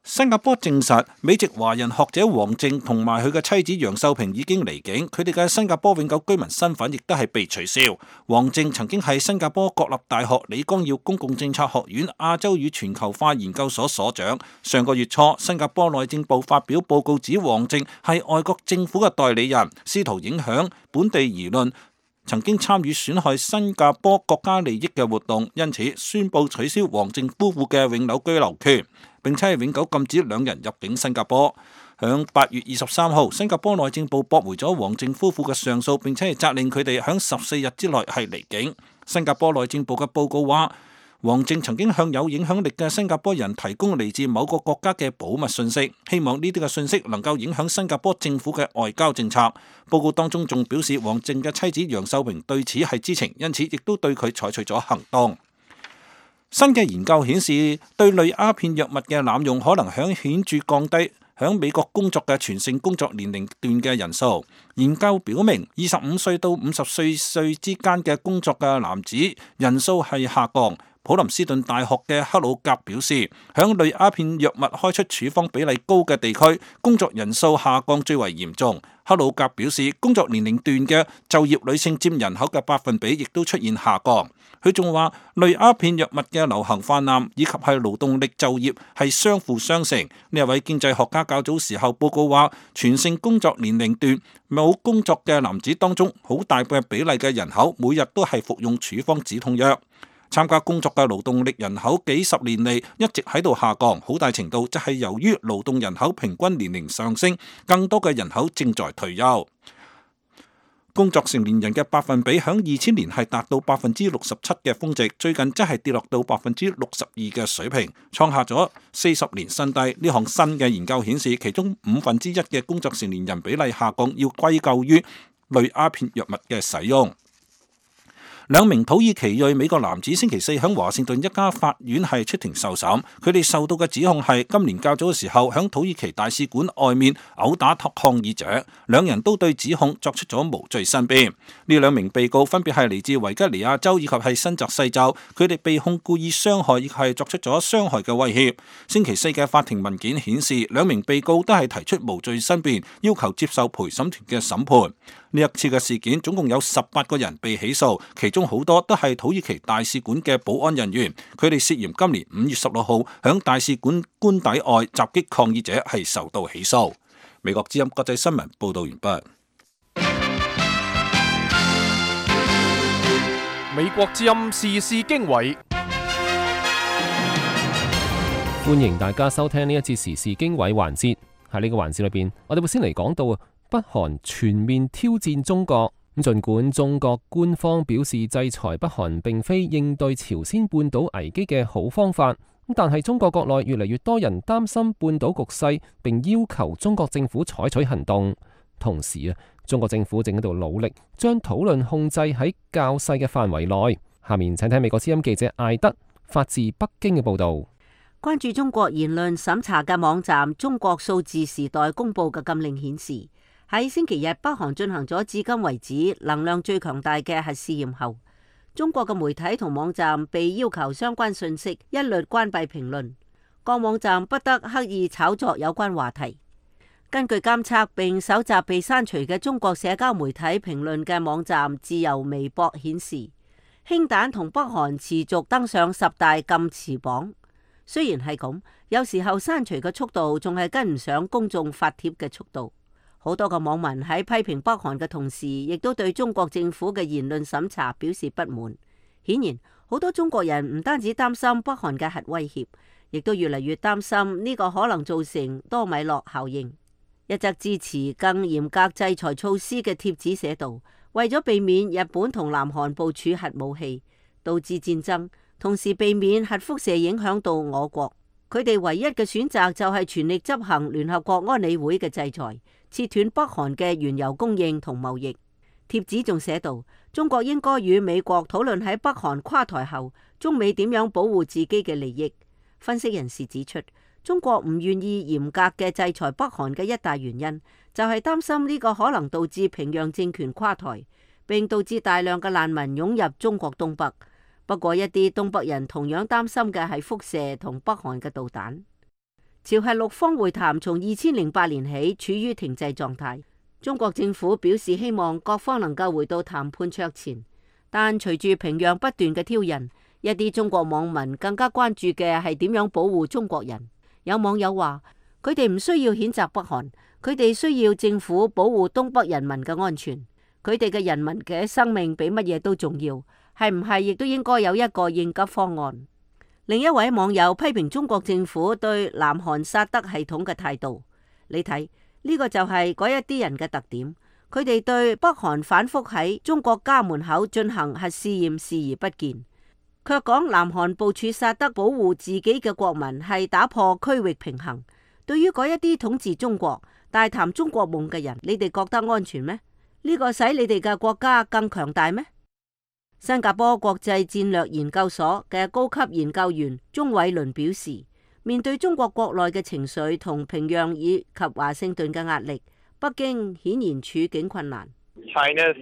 新加坡證實，美籍華人學者王靖同埋佢嘅妻子楊秀萍已經離境，佢哋嘅新加坡永久居民身份亦都係被取消。王靖曾經係新加坡國立大學李光耀公共政策學院亞洲與全球化研究所所長。上個月初，新加坡內政部發表報告指王靖係外國政府嘅代理人，試圖影響本地輿論，曾經參與損害新加坡國家利益嘅活動，因此宣布取消王靖夫婦嘅永久居留權，並且係永久禁止兩人入境新加坡。響八月二十三號，新加坡內政部駁回咗王靖夫婦嘅上訴，並且係責令佢哋響十四日之內係離境。新加坡內政部嘅報告話，王靖曾經向有影響力嘅新加坡人提供嚟自某個國家嘅保密信息，希望呢啲嘅信息能夠影響新加坡政府嘅外交政策。報告當中仲表示，王靖嘅妻子楊秀萍對此係知情，因此亦都對佢採取咗行動。新嘅研究顯示，對類鴉片藥物嘅濫用可能響顯著降低響美國工作嘅全性工作年齡段嘅人數。研究表明，二十五歲到五十四歲之間嘅工作嘅男子人數係下降。普林斯頓大學嘅克魯格表示，響類鴉片藥物開出處方比例高嘅地區，工作人數下降最為嚴重。克魯格表示，工作年齡段嘅就業女性佔人口嘅百分比亦都出現下降。佢仲話，類鴉片藥物嘅流行泛濫以及係勞動力就業係相輔相成。呢一位經濟學家較早時候報告話，全性工作年齡段冇工作嘅男子當中，好大嘅比例嘅人口每日都係服用處方止痛藥。參加工作嘅勞動力人口幾十年嚟一直喺度下降，好大程度就係由於勞動人口平均年齡上升，更多嘅人口正在退休。工作成年人嘅百分比響二千年係達到百分之六十七嘅峰值，最近則係跌落到百分之六十二嘅水平，創下咗四十年新低。呢項新嘅研究顯示，其中五分之一嘅工作成年人比例下降，要歸咎於類鴉片藥物嘅使用。兩名土耳其裔美國男子星期四喺華盛頓一家法院係出庭受審，佢哋受到嘅指控係今年較早嘅時候喺土耳其大使館外面毆打抗議者，兩人都對指控作出咗無罪申辯。呢兩名被告分別係嚟自維吉尼亞州以及係新澤西州，佢哋被控故意傷害以及係作出咗傷害嘅威脅。星期四嘅法庭文件顯示，兩名被告都係提出無罪申辯，要求接受陪審團嘅審判。呢一次嘅事件總共有十八個人被起訴，其中好多都係土耳其大使館嘅保安人員，佢哋涉嫌今年五月十六號響大使館官邸外襲擊抗議者，係受到起訴。美國之音國際新聞報道完畢。美國之音時事經緯，歡迎大家收聽呢一節時事經緯環節。喺呢個環節裏邊，我哋會先嚟講到啊，北韓全面挑戰中國。咁儘管中國官方表示制裁北韓並非應對朝鮮半島危機嘅好方法，但係中國國內越嚟越多人擔心半島局勢，並要求中國政府採取行動。同時啊，中國政府正喺度努力將討論控制喺較細嘅範圍內。下面請睇美國之音記者艾德發自北京嘅報導。關注中國言論審查嘅網站中國數字時代公佈嘅禁令顯示，喺星期日北韓進行咗至今為止能量最強大嘅核試驗後，中國嘅媒體同網站被要求相關信息一律關閉評論，各網站不得刻意炒作有關話題。根據監測並搜集被刪除嘅中國社交媒體評論嘅網站自由微博顯示，氫彈同北韓持續登上十大禁詞榜。雖然係咁，有時候刪除嘅速度仲係跟唔上公眾發帖嘅速度。好多個網民喺批評北韓嘅同時，亦都對中國政府嘅言論審查表示不滿。顯然，好多中國人唔單止擔心北韓嘅核威脅，亦都越嚟越擔心呢個可能造成多米諾效應。一則支持更嚴格制裁措施嘅帖子寫道：為咗避免日本同南韓部署核武器，導致戰爭，同時避免核輻射影響到我國，佢哋唯一嘅選擇就係全力執行聯合國安理會嘅制裁，切斷北韓嘅原油供應同貿易。帖子仲寫道，中國應該與美國討論喺北韓垮台後，中美點樣保護自己嘅利益。分析人士指出，中國唔願意嚴格嘅制裁北韓嘅一大原因，就係擔心呢個可能導致平壤政權垮台，並導致大量嘅難民湧入中國東北。不過一啲東北人同樣擔心嘅係輻射同北韓嘅導彈。朝核六方會談從二千零八年起處於停滯狀態，中國政府表示希望各方能夠回到談判桌前，但隨住平壤不斷嘅挑釁，一啲中國網民更加關注嘅係點樣保護中國人。有網友話，佢哋唔需要譴責北韓，佢哋需要政府保護東北人民嘅安全，佢哋嘅人民嘅生命比乜嘢都重要。係唔係亦都應該有一個應急方案？另一位網友批評中國政府對南韓薩德系統嘅態度，你睇呢個就係嗰一啲人嘅特點，佢哋對北韓反覆喺中國家門口進行核試驗視而不見，卻講南韓部署薩德保護自己嘅國民係打破區域平衡。對於嗰一啲統治中國、大談中國夢嘅人，你哋覺得安全咩？呢個使你哋嘅國家更強大咩？新加坡國際戰略研究所嘅高級研究員鍾偉倫表示，面對中國國內嘅情緒同平壤以及華盛頓嘅壓力，北京顯然處境困難。China's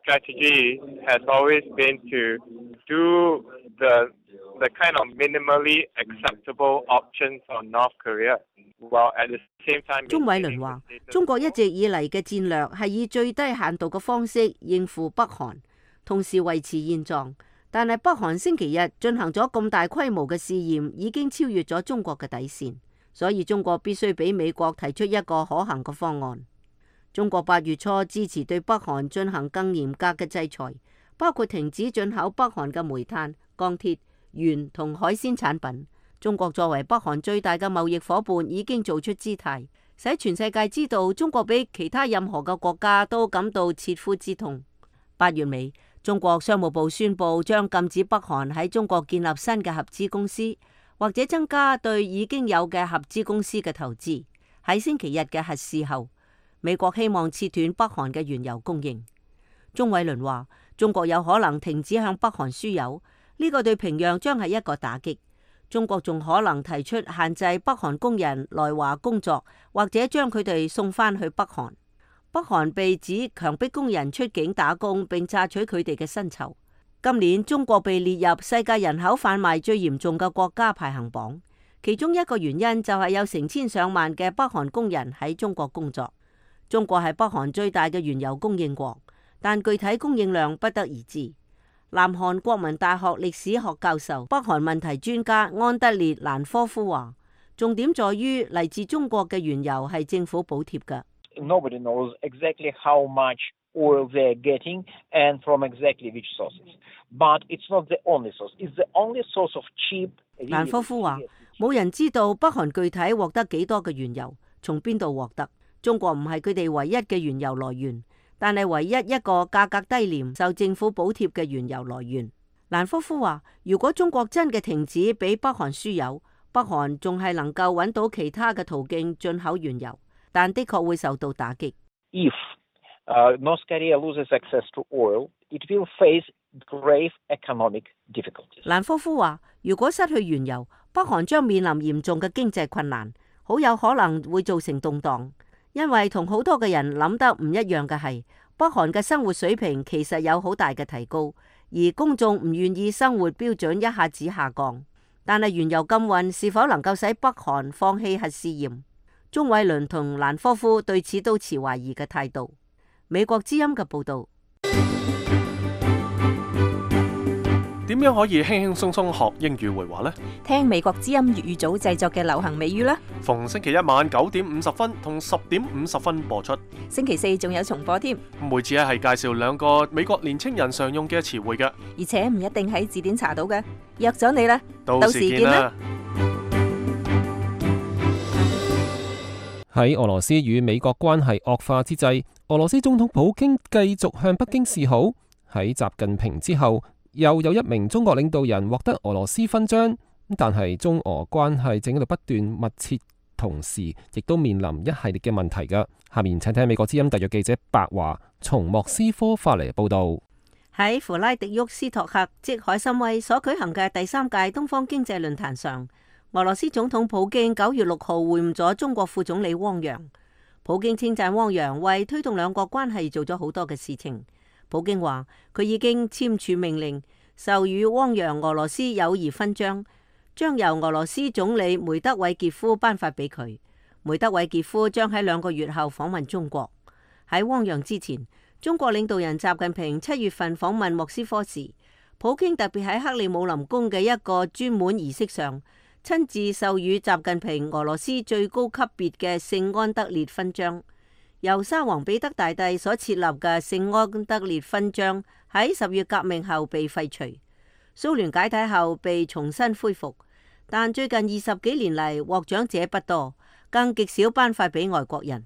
strategy has always been to do the the kind of minimally acceptable options on North Korea, while at the same time. 鍾偉倫話：中國一直以嚟嘅戰略係以最低限度嘅方式應付北韓，同時維持現狀，但係北韓星期日進行咗咁大規模嘅試驗，已經超越咗中國嘅底線，所以中國必須俾美國提出一個可行嘅方案。中國八月初支持對北韓進行更嚴格嘅制裁，包括停止進口北韓嘅煤炭、鋼鐵、鉛同海鮮產品。中國作為北韓最大嘅貿易夥伴，已經做出姿態，使全世界知道中國比其他任何嘅國家都感到切膚之痛。八月尾，中國商務部宣布將禁止北韓喺中國建立新嘅合資公司，或者增加對已經有嘅合資公司嘅投資。喺星期日嘅核試後，美國希望切斷北韓嘅原油供應。鍾偉倫話：中國有可能停止向北韓輸油，呢個對平壤將係一個打擊。中國仲可能提出限制北韓工人來華工作，或者將佢哋送返去北韓。北韓被指強迫工人出境打工，並榨取佢哋嘅薪酬。今年中國被列入世界人口販賣最嚴重嘅國家排行榜，其中一個原因就係有成千上萬嘅北韓工人喺中國工作。中國係北韓最大嘅原油供應國，但具體供應量不得而知。南韓國民大學歷史學教授、北韓問題專家安德烈蘭科夫話，重點在於嚟自中國嘅原油係政府補貼嘅。Nobody knows exactly how much oil they're getting and from exactly which sources. But it's not the only source. It's the only source of cheap. 蘭科夫話，冇人知道北韓具體獲得幾多嘅原油，從邊度獲得。中國唔係佢哋唯一嘅原油來源，但係唯一一個價格低廉、受政府補貼嘅原油來源。蘭科夫話，如果中國真嘅停止俾北韓輸油，北韓仲係能夠揾到其他嘅途徑進口原油，但的確會受到打擊。If uh, North Korea loses access to oil, it will face grave economic difficulties. 蘭科夫話，如果失去原油，北韓將面臨嚴重嘅經濟困難，好有可能會造成動盪。因為同好多嘅人諗得唔一樣嘅係，北韓嘅生活水平其實有好大嘅提高，而公眾唔願意生活標準一下子下降。但係原油禁運是否能夠使北韓放棄核試驗？鍾偉倫同蘭科夫對此都持懷疑嘅態度。美國之音嘅報導。點樣可以輕輕鬆鬆學英語會話呢？聽美國之音粵語組製作嘅流行美語啦！逢星期一晚九點五十分同十點五十分播出，星期四仲有重播添。每次咧係介紹兩個美國年青人常用嘅詞彙嘅，而且唔一定喺字典查到嘅。約咗你啦，到時見啦！喺俄羅斯與美國關係惡化之際，俄羅斯總統普京繼續向北京示好。喺習近平之後，又有一名中國領導人獲得俄羅斯勳章，但係中俄關係正喺度不斷密切，同時亦都面臨一系列嘅問題㗎。下面請聽美國之音特約記者白華從莫斯科發嚟報道。喺弗拉迪沃斯托克即海參崴所舉行嘅第三屆東方經濟論壇上，俄羅斯總統普京九月六號會晤咗中國副總理汪洋。普京稱讚汪洋為推動兩國關係做咗好多嘅事情。普京話佢已經簽署命令，授予汪洋俄羅斯友誼勳章，將由俄羅斯總理梅德韋傑夫頒發俾佢。梅德韋傑夫將喺兩個月後訪問中國。喺汪洋之前，中國領導人習近平七月份訪問莫斯科時，普京特別喺克里姆林宮嘅一個專門儀式上，親自授予習近平俄羅斯最高級別嘅聖安德烈勳章。由沙皇彼得大帝所設立嘅聖安德烈勳章喺十月革命後被廢除，蘇聯解體後被重新恢復，但最近二十幾年嚟獲獎者不多，更極少頒發俾外國人。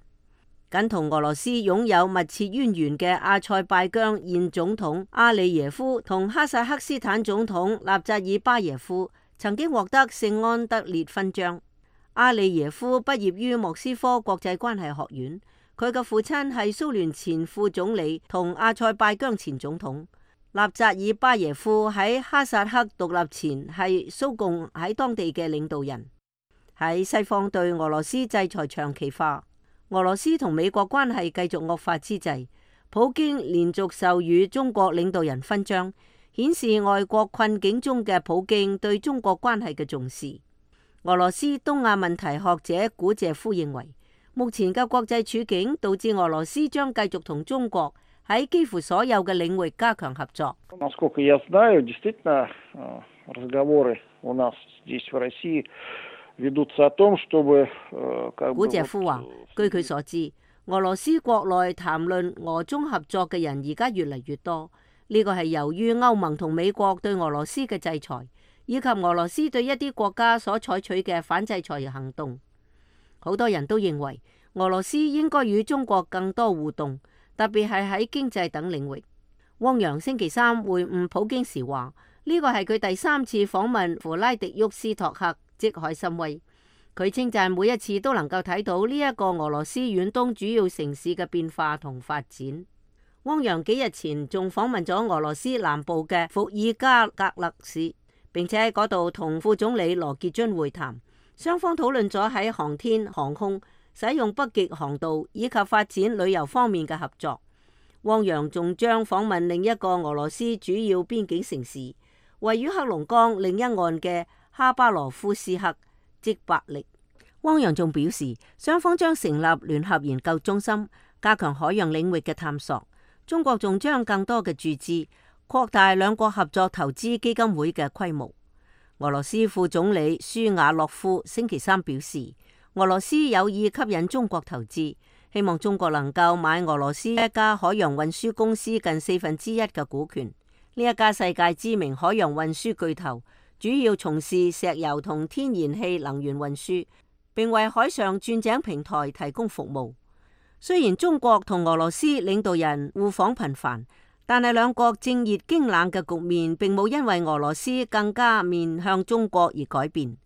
僅同俄羅斯擁有密切淵源嘅阿塞拜疆現總統阿里耶夫同哈薩克斯坦總統納扎爾巴耶夫曾經獲得聖安德烈勳章。阿里耶夫畢業於莫斯科國際關係學院。佢嘅父親係蘇聯前副總理同阿塞拜疆前總統。納扎爾巴耶夫喺哈薩克獨立前係蘇共喺當地嘅領導人。喺西方對俄羅斯制裁長期化，俄羅斯同美國關係繼續惡化之際，普京連續授予中國領導人勳章，顯示外國困境中嘅普京對中國關係嘅重視。俄羅斯東亞問題學者古謝夫認為，目前嘅國際處境導致俄羅斯將繼續同中國喺幾乎所有嘅領域加強合作。古謝夫話，據佢所知，俄羅斯國內談論俄中合作嘅人而家越嚟越多，呢個係由於歐盟同美國對俄羅斯嘅制裁，以及俄羅斯對一啲國家所採取嘅反制裁行動。好多人都認為俄羅斯應該與中國更多互動，特別係喺經濟等領域。汪洋星期三會晤普京時話，呢個係佢第三次訪問弗拉迪沃斯托克即海參崴。佢稱讚每一次都能夠睇到呢一個俄羅斯遠東主要城市嘅變化同發展。汪洋幾日前仲訪問咗俄羅斯南部嘅伏爾加格勒市，並且喺嗰度同副總理羅傑津會談，雙方討論咗喺航天、航空、使用北極航道以及發展旅遊方面嘅合作。汪洋仲將訪問另一個俄羅斯主要邊境城市，位於黑龍江另一岸嘅哈巴羅夫斯克，即伯力。汪洋仲表示，雙方將成立聯合研究中心，加強海洋領域嘅探索。中國仲將更多嘅注資，擴大兩國合作投資基金會嘅規模。俄羅斯副總理舒瓦洛夫星期三表示，俄羅斯有意吸引中國投資，希望中國能夠買俄羅斯一家海洋運輸公司近四分之一嘅股權。呢一家世界知名海洋運輸巨頭，主要從事石油同天然氣能源運輸，並為海上鑽井平台提供服務。雖然中國同俄羅斯領導人互訪頻繁，但係兩國正熱經冷嘅局面並冇因為俄羅斯更加面向中國而改變。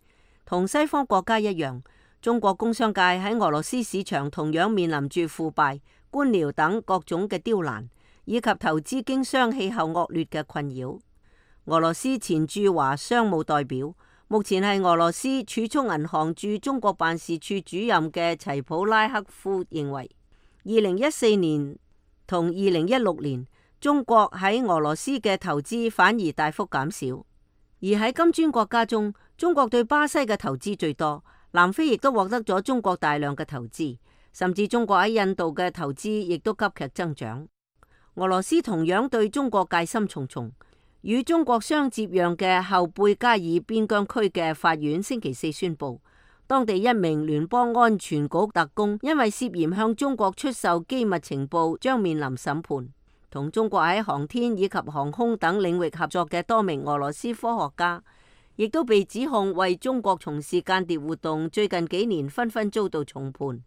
同西方國家一樣，中國工商界喺俄羅斯市場同樣面臨住腐敗、官僚等各種嘅刁難，以及投資經商氣候惡劣嘅困擾。俄羅斯前駐華商務代表，目前係俄羅斯儲蓄銀行駐中國辦事處主任嘅齊普拉克夫認為，二零一四年同二零一六年，中國喺俄羅斯嘅投資反而大幅減少。而喺金磚國家中，中國對巴西嘅投資最多，南非亦都獲得咗中國大量嘅投資，甚至中國喺印度嘅投資亦都急劇增長。俄羅斯同樣對中國戒心重重。與中國相接壤嘅後貝加爾邊疆區嘅法院星期四宣布，當地一名聯邦安全局特工因為涉嫌向中國出售機密情報，將面臨審判。同中國喺航天以及航空等領域合作嘅多名俄羅斯科學家，亦都被指控為中國從事間諜活動，最近幾年紛紛遭到重判。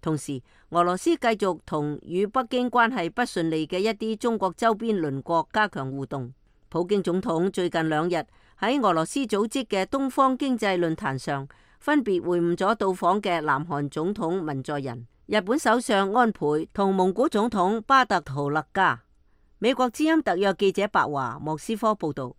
同時，俄羅斯繼續同與北京關係不順利嘅一啲中國周邊鄰國加強互動。普京總統最近兩日喺俄羅斯組織嘅東方經濟論壇上，分別會晤咗到訪嘅南韓總統文在寅、日本首相安倍同蒙古總統巴特圖勒加。美國之音特約記者白華莫斯科報道。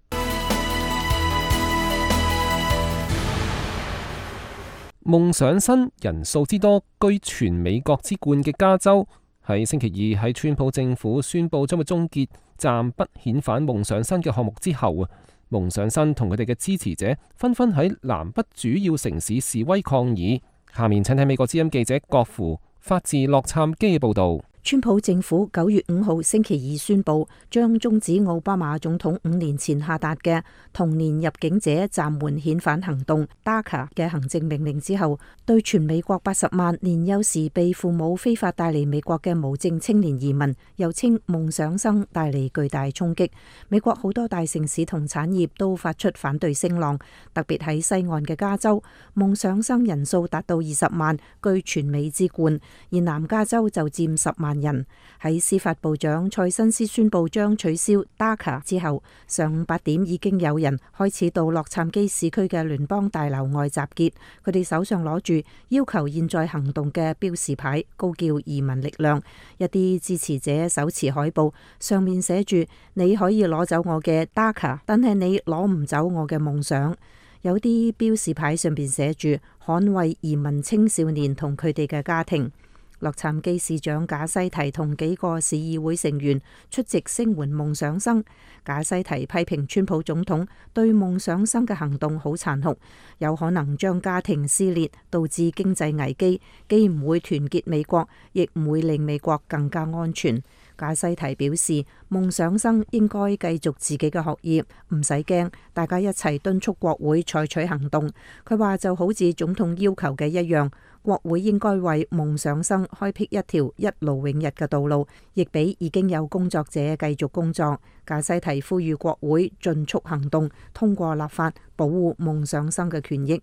夢想新人數之多居全美國之冠嘅加州，喺星期二喺川普政府宣布將會終結暫不遣返夢想新嘅項目之後啊，夢想新同佢哋嘅支持者紛紛喺南北主要城市示威抗議。下面請睇美國之音記者郭芙發自洛杉磯嘅報道。川普政府九月五號星期二宣布，將終止奧巴馬總統五年前下達嘅童年入境者暫緩遣返行動 D A C A 嘅行政命令之後，對全美國八十萬年幼時被父母非法帶嚟美國嘅無證青年移民，又稱夢想生，帶嚟巨大衝擊。美國好多大城市同產業都發出反對聲浪，特別喺西岸嘅加州，夢想生人數達到二十萬，居全美之冠，而南加州就佔十萬人。喺司法部長蔡新斯宣布將取消 D A C A 之後，上午八點已經有人開始到洛杉磯市區嘅聯邦大樓外集結，佢哋手上攞住要求現在行動嘅標示牌，高叫移民力量。一啲支持者手持海報，上面寫住你可以攞走我嘅 D A C A， 但係你攞唔走我嘅夢想。有啲標示牌上邊寫住捍衛移民青少年同佢哋嘅家庭。洛杉磯市長賈西提同幾個市議會成員出席聲援夢想生。賈西提批評川普總統對夢想生嘅行動好殘酷，有可能將家庭撕裂，導致經濟危機，既唔會團結美國，亦唔會令美國更加安全。賈西提表示，夢想生應該繼續自己嘅學業，唔使驚，大家一齊敦促國會採取行動。佢話就好似總統要求嘅一樣，國會應該為夢想生開闢一條一勞永逸嘅道路，亦俾已經有工作者繼續工作。賈西提呼籲國會盡速行動，通過立法保護夢想生嘅權益。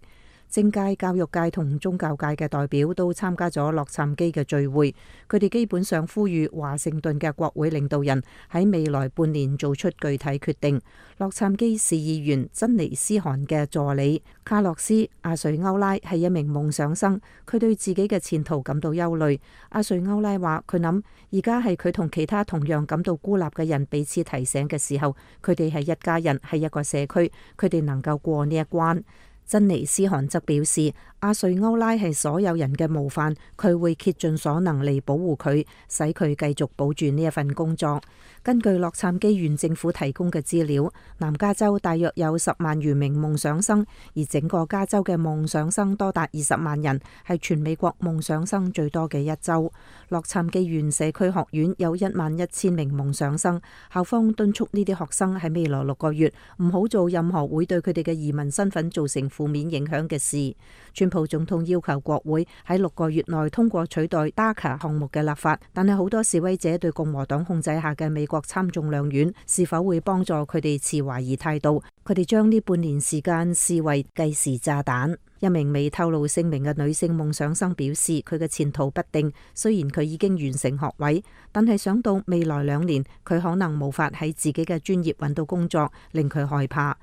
政界、教育界同宗教界嘅代表都參加咗洛杉磯嘅聚會，佢哋基本上呼籲華盛頓嘅國會領導人喺未來半年做出具體決定。洛杉磯市議員珍妮斯汗嘅助理卡洛斯阿瑞歐拉係一名夢想生，佢對自己嘅前途感到憂慮。阿瑞歐拉話：佢諗而家係佢同其他同樣感到孤立嘅人彼此提醒嘅時候，佢哋係一家人，係一個社區，佢哋能夠過呢一關。珍妮斯汗則表示，阿瑞歐拉係所有人嘅模範，佢會竭盡所能嚟保護佢，使佢繼續保住呢一份工作。根據洛杉磯縣政府提供嘅資料，南加州大約有十萬餘名夢想生，而整個加州嘅夢想生多達二十萬人，係全美國夢想生最多嘅一州。洛杉磯縣社區學院有一萬一千名夢想生，校方敦促呢啲學生喺未來六個月唔好做任何會對佢哋嘅移民身份造成負面影響嘅事。川普總統要求國會喺六個月內通過取代 DACA 項目嘅立法，但係好多示威者對共和黨控制下嘅美國參眾兩院是否會幫助佢哋持懷疑態度。佢哋將呢半年時間視為計時炸彈。一名未透露姓名嘅女性夢想生表示，佢嘅前途不定，雖然佢已經完成學位，但係想到未來兩年佢可能無法喺自己嘅專業揾到工作，令佢害怕。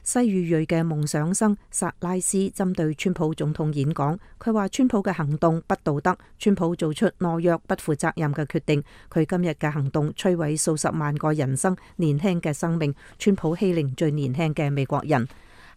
西語裔嘅夢想生薩拉斯針對川普總統演講，佢話川普嘅行動不道德，川普做出懦弱不負責任嘅決定，佢今日嘅行動摧毀數十萬個人生年輕嘅生命，川普欺凌最年輕嘅美國人。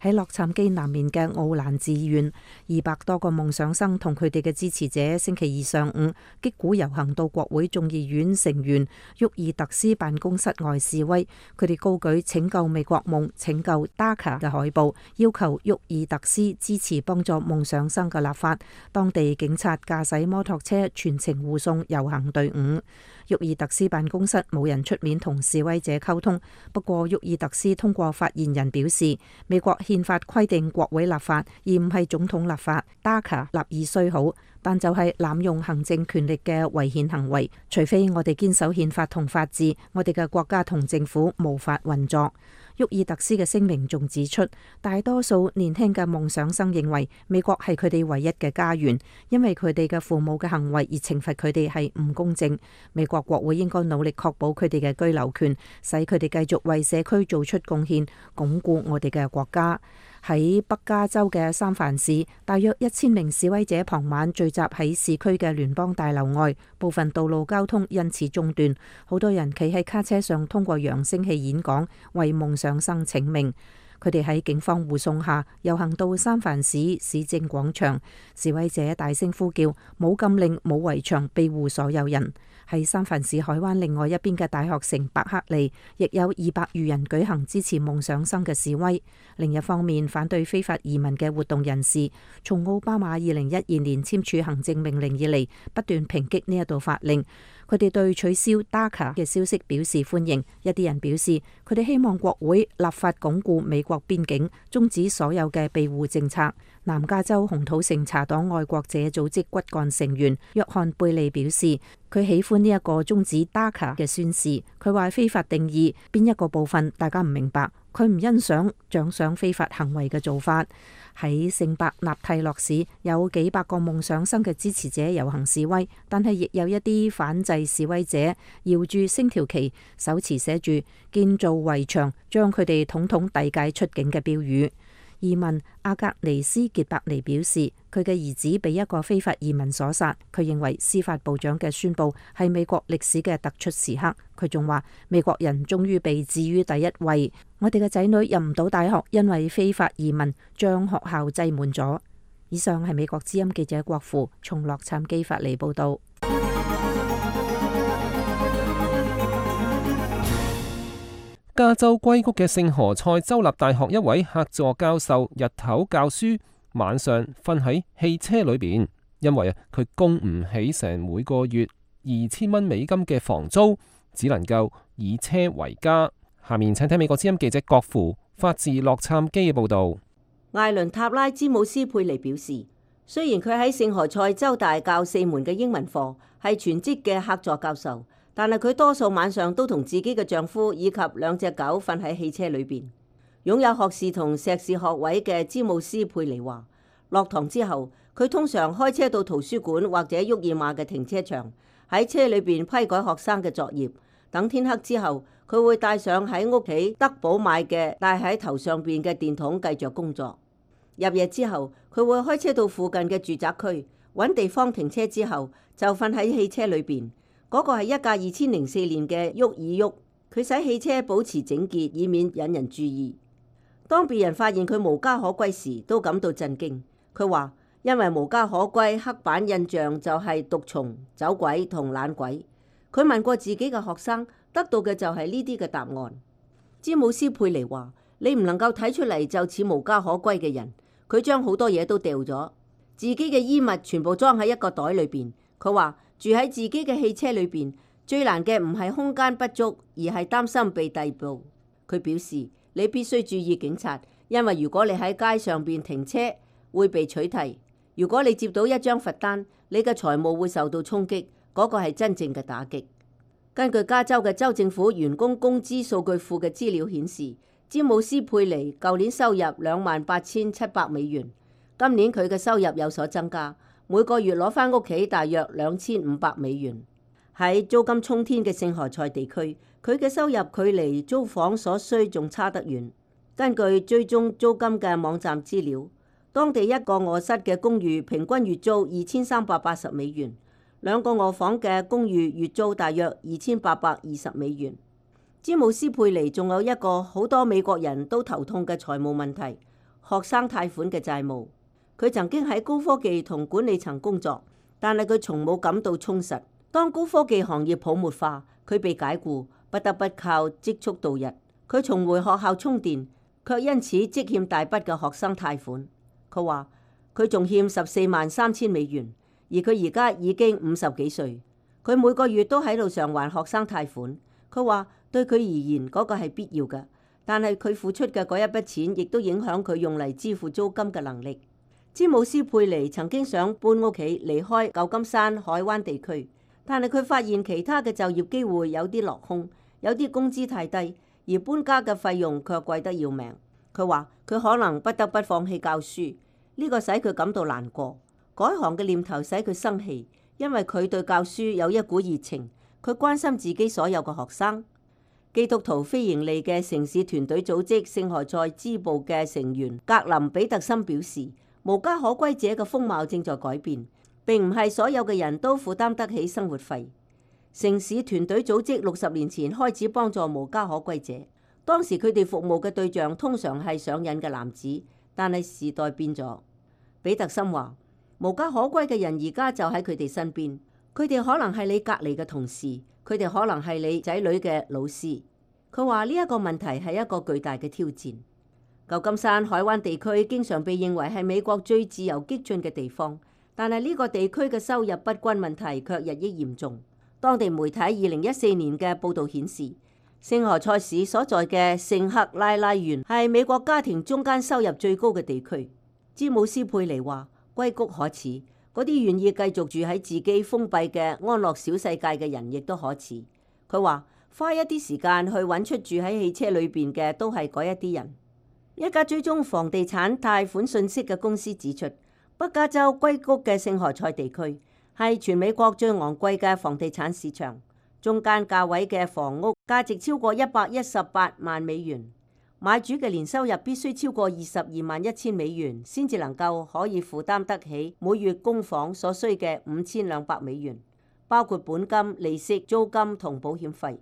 喺洛杉磯南面嘅奧蘭治縣，二百多個夢想生同佢哋嘅支持者星期二上午擊鼓遊行到國會眾議院成員沃爾特斯辦公室外示威，佢哋高舉拯救美國夢、拯救 DACA 嘅海報，要求沃爾特斯支持幫助夢想生嘅立法。當地警察駕駛摩托車全程護送遊行隊伍。沃爾特斯辦公室冇人出面同示威者溝通，不過沃爾特斯通過發言人表示，美國憲法規定國會立法，而唔係總統立法。DACA 立意雖好，但就係濫用行政權力嘅違憲行為。除非我哋堅守憲法同法治，我哋嘅國家同政府無法運作。沃爾特斯嘅聲明仲指出，大多數年輕嘅夢想生認為美國係佢哋唯一嘅家園，因為佢哋嘅父母嘅行為而懲罰佢哋係唔公正。美國國會應該努力確保佢哋嘅居留權，使佢哋繼續為社區做出貢獻，鞏固我哋嘅國家。喺北加州嘅三藩市，大約一千名示威者傍晚聚集喺市區嘅聯邦大樓外，部分道路交通因此中斷。好多人企喺卡車上，通過揚聲器演講，為夢想生請命。佢哋喺警方護送下遊行到三藩市市政廣場，示威者大聲呼叫：冇禁令，冇圍牆，庇護所有人。喺三藩市海灣另外一邊嘅大學城伯克利，亦有二百餘人舉行支持夢想生嘅示威。另一方面，反對非法移民嘅活動人士，從奧巴馬二零一二年簽署行政命令以嚟，不斷抨擊呢一道法令。佢哋對取消 DACA 嘅消息表示歡迎。一啲人表示，佢哋希望國會立法鞏固美國邊境，終止所有嘅庇護政策。南加州紅土城茶黨愛國者組織骨幹成員約翰貝利表示，佢喜歡呢一個終止 DACA 嘅宣示。佢話非法定義邊一個部分大家唔明白，佢唔欣賞獎賞非法行為嘅做法。喺聖伯納蒂洛市有幾百個夢想生嘅支持者遊行示威，但係亦有一啲反制示威者搖住星條旗，手持寫住建造圍牆，將佢哋統統遞解出境嘅標語。移民阿格尼斯傑伯尼表示，佢嘅兒子被一個非法移民所殺。佢認為司法部長嘅宣佈係美國歷史嘅突出時刻。佢仲話，美國人終於被置於第一位。我哋嘅仔女入唔到大學，因為非法移民將學校擠滿咗。以上係美國之音記者郭芙從洛杉磯發嚟報道。加州硅谷嘅聖何塞州立大學一位客座教授日頭教書，晚上瞓喺汽車裏邊，因為啊佢供唔起成每個月二千蚊美金嘅房租，只能夠以車為家。下面請睇美國之音記者郭芙發自洛杉磯嘅報道。艾倫塔拉詹姆斯佩尼表示，雖然佢喺聖何塞州大教四門嘅英文課，係全職嘅客座教授，但係佢多數晚上都同自己嘅丈夫以及兩隻狗瞓喺汽車裏邊。擁有學士同碩士學位嘅詹姆斯佩尼話，落堂之後，佢通常開車到圖書館或者沃爾瑪嘅停車場，喺車裏邊批改學生嘅作業。等天黑之後，佢會帶上喺屋企德寶買嘅戴喺頭上邊嘅電筒，繼續工作。入夜之後，佢會開車到附近嘅住宅區，揾地方停車之後就瞓喺汽車裏邊。嗰、那個係一架二千零四年嘅沃爾沃，佢使汽車保持整潔，以免引人注意。當別人發現佢無家可歸時，都感到震驚。佢話因為無家可歸，刻板印象就係毒蟲、走鬼同懶鬼。佢問過自己嘅學生，得到嘅就係呢啲嘅答案。詹姆斯佩尼話：你唔能夠睇出嚟就似無家可歸嘅人。佢將好多嘢都掉咗，自己嘅衣物全部裝喺一個袋裏邊。佢話住喺自己嘅汽車裏邊，最難嘅唔係空間不足，而係擔心被逮捕。佢表示你必須注意警察，因為如果你喺街上邊停車會被取締。如果你接到一張罰單，你嘅財務會受到衝擊。嗰個係真正嘅打擊。根據加州嘅州政府員工工資數據庫嘅資料顯示，詹姆斯佩尼舊年收入兩萬八千七百美元，今年佢嘅收入有所增加，每個月攞返屋企大約兩千五百美元。喺租金沖天嘅聖何塞地區，佢嘅收入距離租房所需仲差得遠。根據追蹤租金嘅網站資料，當地一個臥室嘅公寓平均月租二千三百八十美元。兩個臥房嘅公寓月租大約二千八百二十美元。詹姆斯佩尼仲有一個好多美國人都頭痛嘅財務問題——學生貸款嘅債務。佢曾經喺高科技同管理層工作，但係佢從冇感到充實。當高科技行業泡沫化，佢被解雇，不得不靠積蓄度日。佢重回學校充電，卻因此積欠大筆嘅學生貸款。佢話佢仲欠十四萬三千美元。而佢而家已經五十幾歲，佢每個月都喺度償還學生貸款。佢話對佢而言嗰個係必要嘅，但係佢付出嘅嗰一筆錢亦都影響佢用嚟支付租金嘅能力。詹姆斯佩尼曾經想搬屋企離開舊金山海灣地區，但係佢發現其他嘅就業機會有啲落空，有啲工資太低，而搬家嘅費用卻貴得要命。佢話佢可能不得不放棄教書，呢個使佢感到難過。改行嘅念頭使佢生氣，因為佢對教書有一股熱情，佢關心自己所有嘅學生。基督徒非營利嘅城市團隊組織聖何塞支部嘅成員格林比特森表示，無家可歸者嘅風貌正在改變，並唔係所有嘅人都負擔得起生活費。城市團隊組織六十年前開始幫助無家可歸者，當時佢哋服務嘅對象通常係上癮嘅男子，但係時代變咗。比特森話，無家可歸嘅人而家就喺佢哋身邊，佢哋可能係你隔離嘅同事，佢哋可能係你仔女嘅老師。佢話呢一個問題係一個巨大嘅挑戰。舊金山海灣地區經常被認為係美國最自由激進嘅地方，但係呢個地區嘅收入不均問題卻日益嚴重。當地媒體二零一四年嘅報導顯示，聖何塞市所在嘅聖克拉拉縣係美國家庭中間收入最高嘅地區。詹姆斯佩尼話，歸谷可恥，嗰啲願意繼續住喺自己封閉嘅安樂小世界嘅人亦都可恥。佢話花一啲時間去揾出住喺汽車裏邊嘅都係嗰一啲人。一家追蹤房地產貸款信息嘅公司指出，北加州硅谷嘅聖何塞地區係全美國最昂貴嘅房地產市場，中間價位嘅房屋價值超過一百一十八萬美元。買主嘅年收入必須超過二十二萬一千美元，先至能夠可以負擔得起每月供房所需嘅五千兩百美元，包括本金、利息、租金同保險費。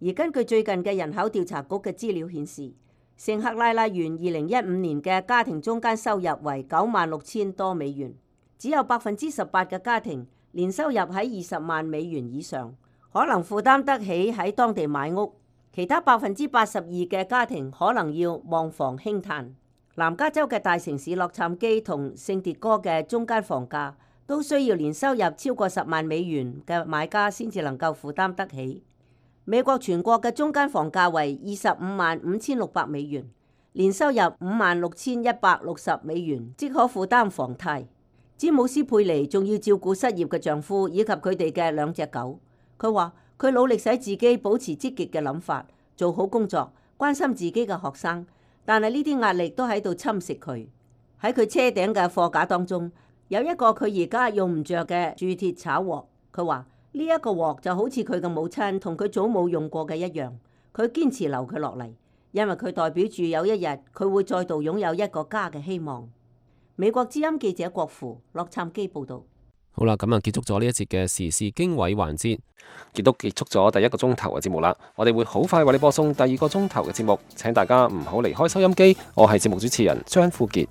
而根據最近嘅人口調查局嘅資料顯示，聖克拉拉縣二零一五年嘅家庭中間收入為九萬六千多美元，只有百分之十八嘅家庭年收入喺二十萬美元以上，可能負擔得起喺當地買屋。其他百分之八十二嘅家庭可能要望房興嘆。南加州嘅大城市洛杉磯同聖迭戈嘅中間房價都需要年收入超過十萬美元嘅買家先至能夠負擔得起。美國全國嘅中間房價為二十五萬五千六百美元，年收入五萬六千一百六十美元，即可負擔房貸。詹姆斯佩尼仲要照顧失業嘅丈夫以及佢哋嘅兩隻狗。佢話佢努力使自己保持積極嘅諗法，做好工作，關心自己嘅學生，但係呢啲壓力都喺度侵蝕佢。喺佢車頂嘅貨架當中有一個佢而家用唔着嘅鑄鐵炒鑊。佢話呢一個鑊就好似佢嘅母親同佢祖母用過嘅一樣，佢堅持留佢落嚟，因為佢代表住有一日佢會再度擁有一個家嘅希望。美國之音記者郭芙洛杉磯報道。好啦，咁啊結束咗呢一節嘅時事經緯環節，亦都結束咗第一個鐘頭嘅節目啦。我哋會好快為你播送第二個鐘頭嘅節目，請大家唔好離開收音機。我係節目主持人張富傑。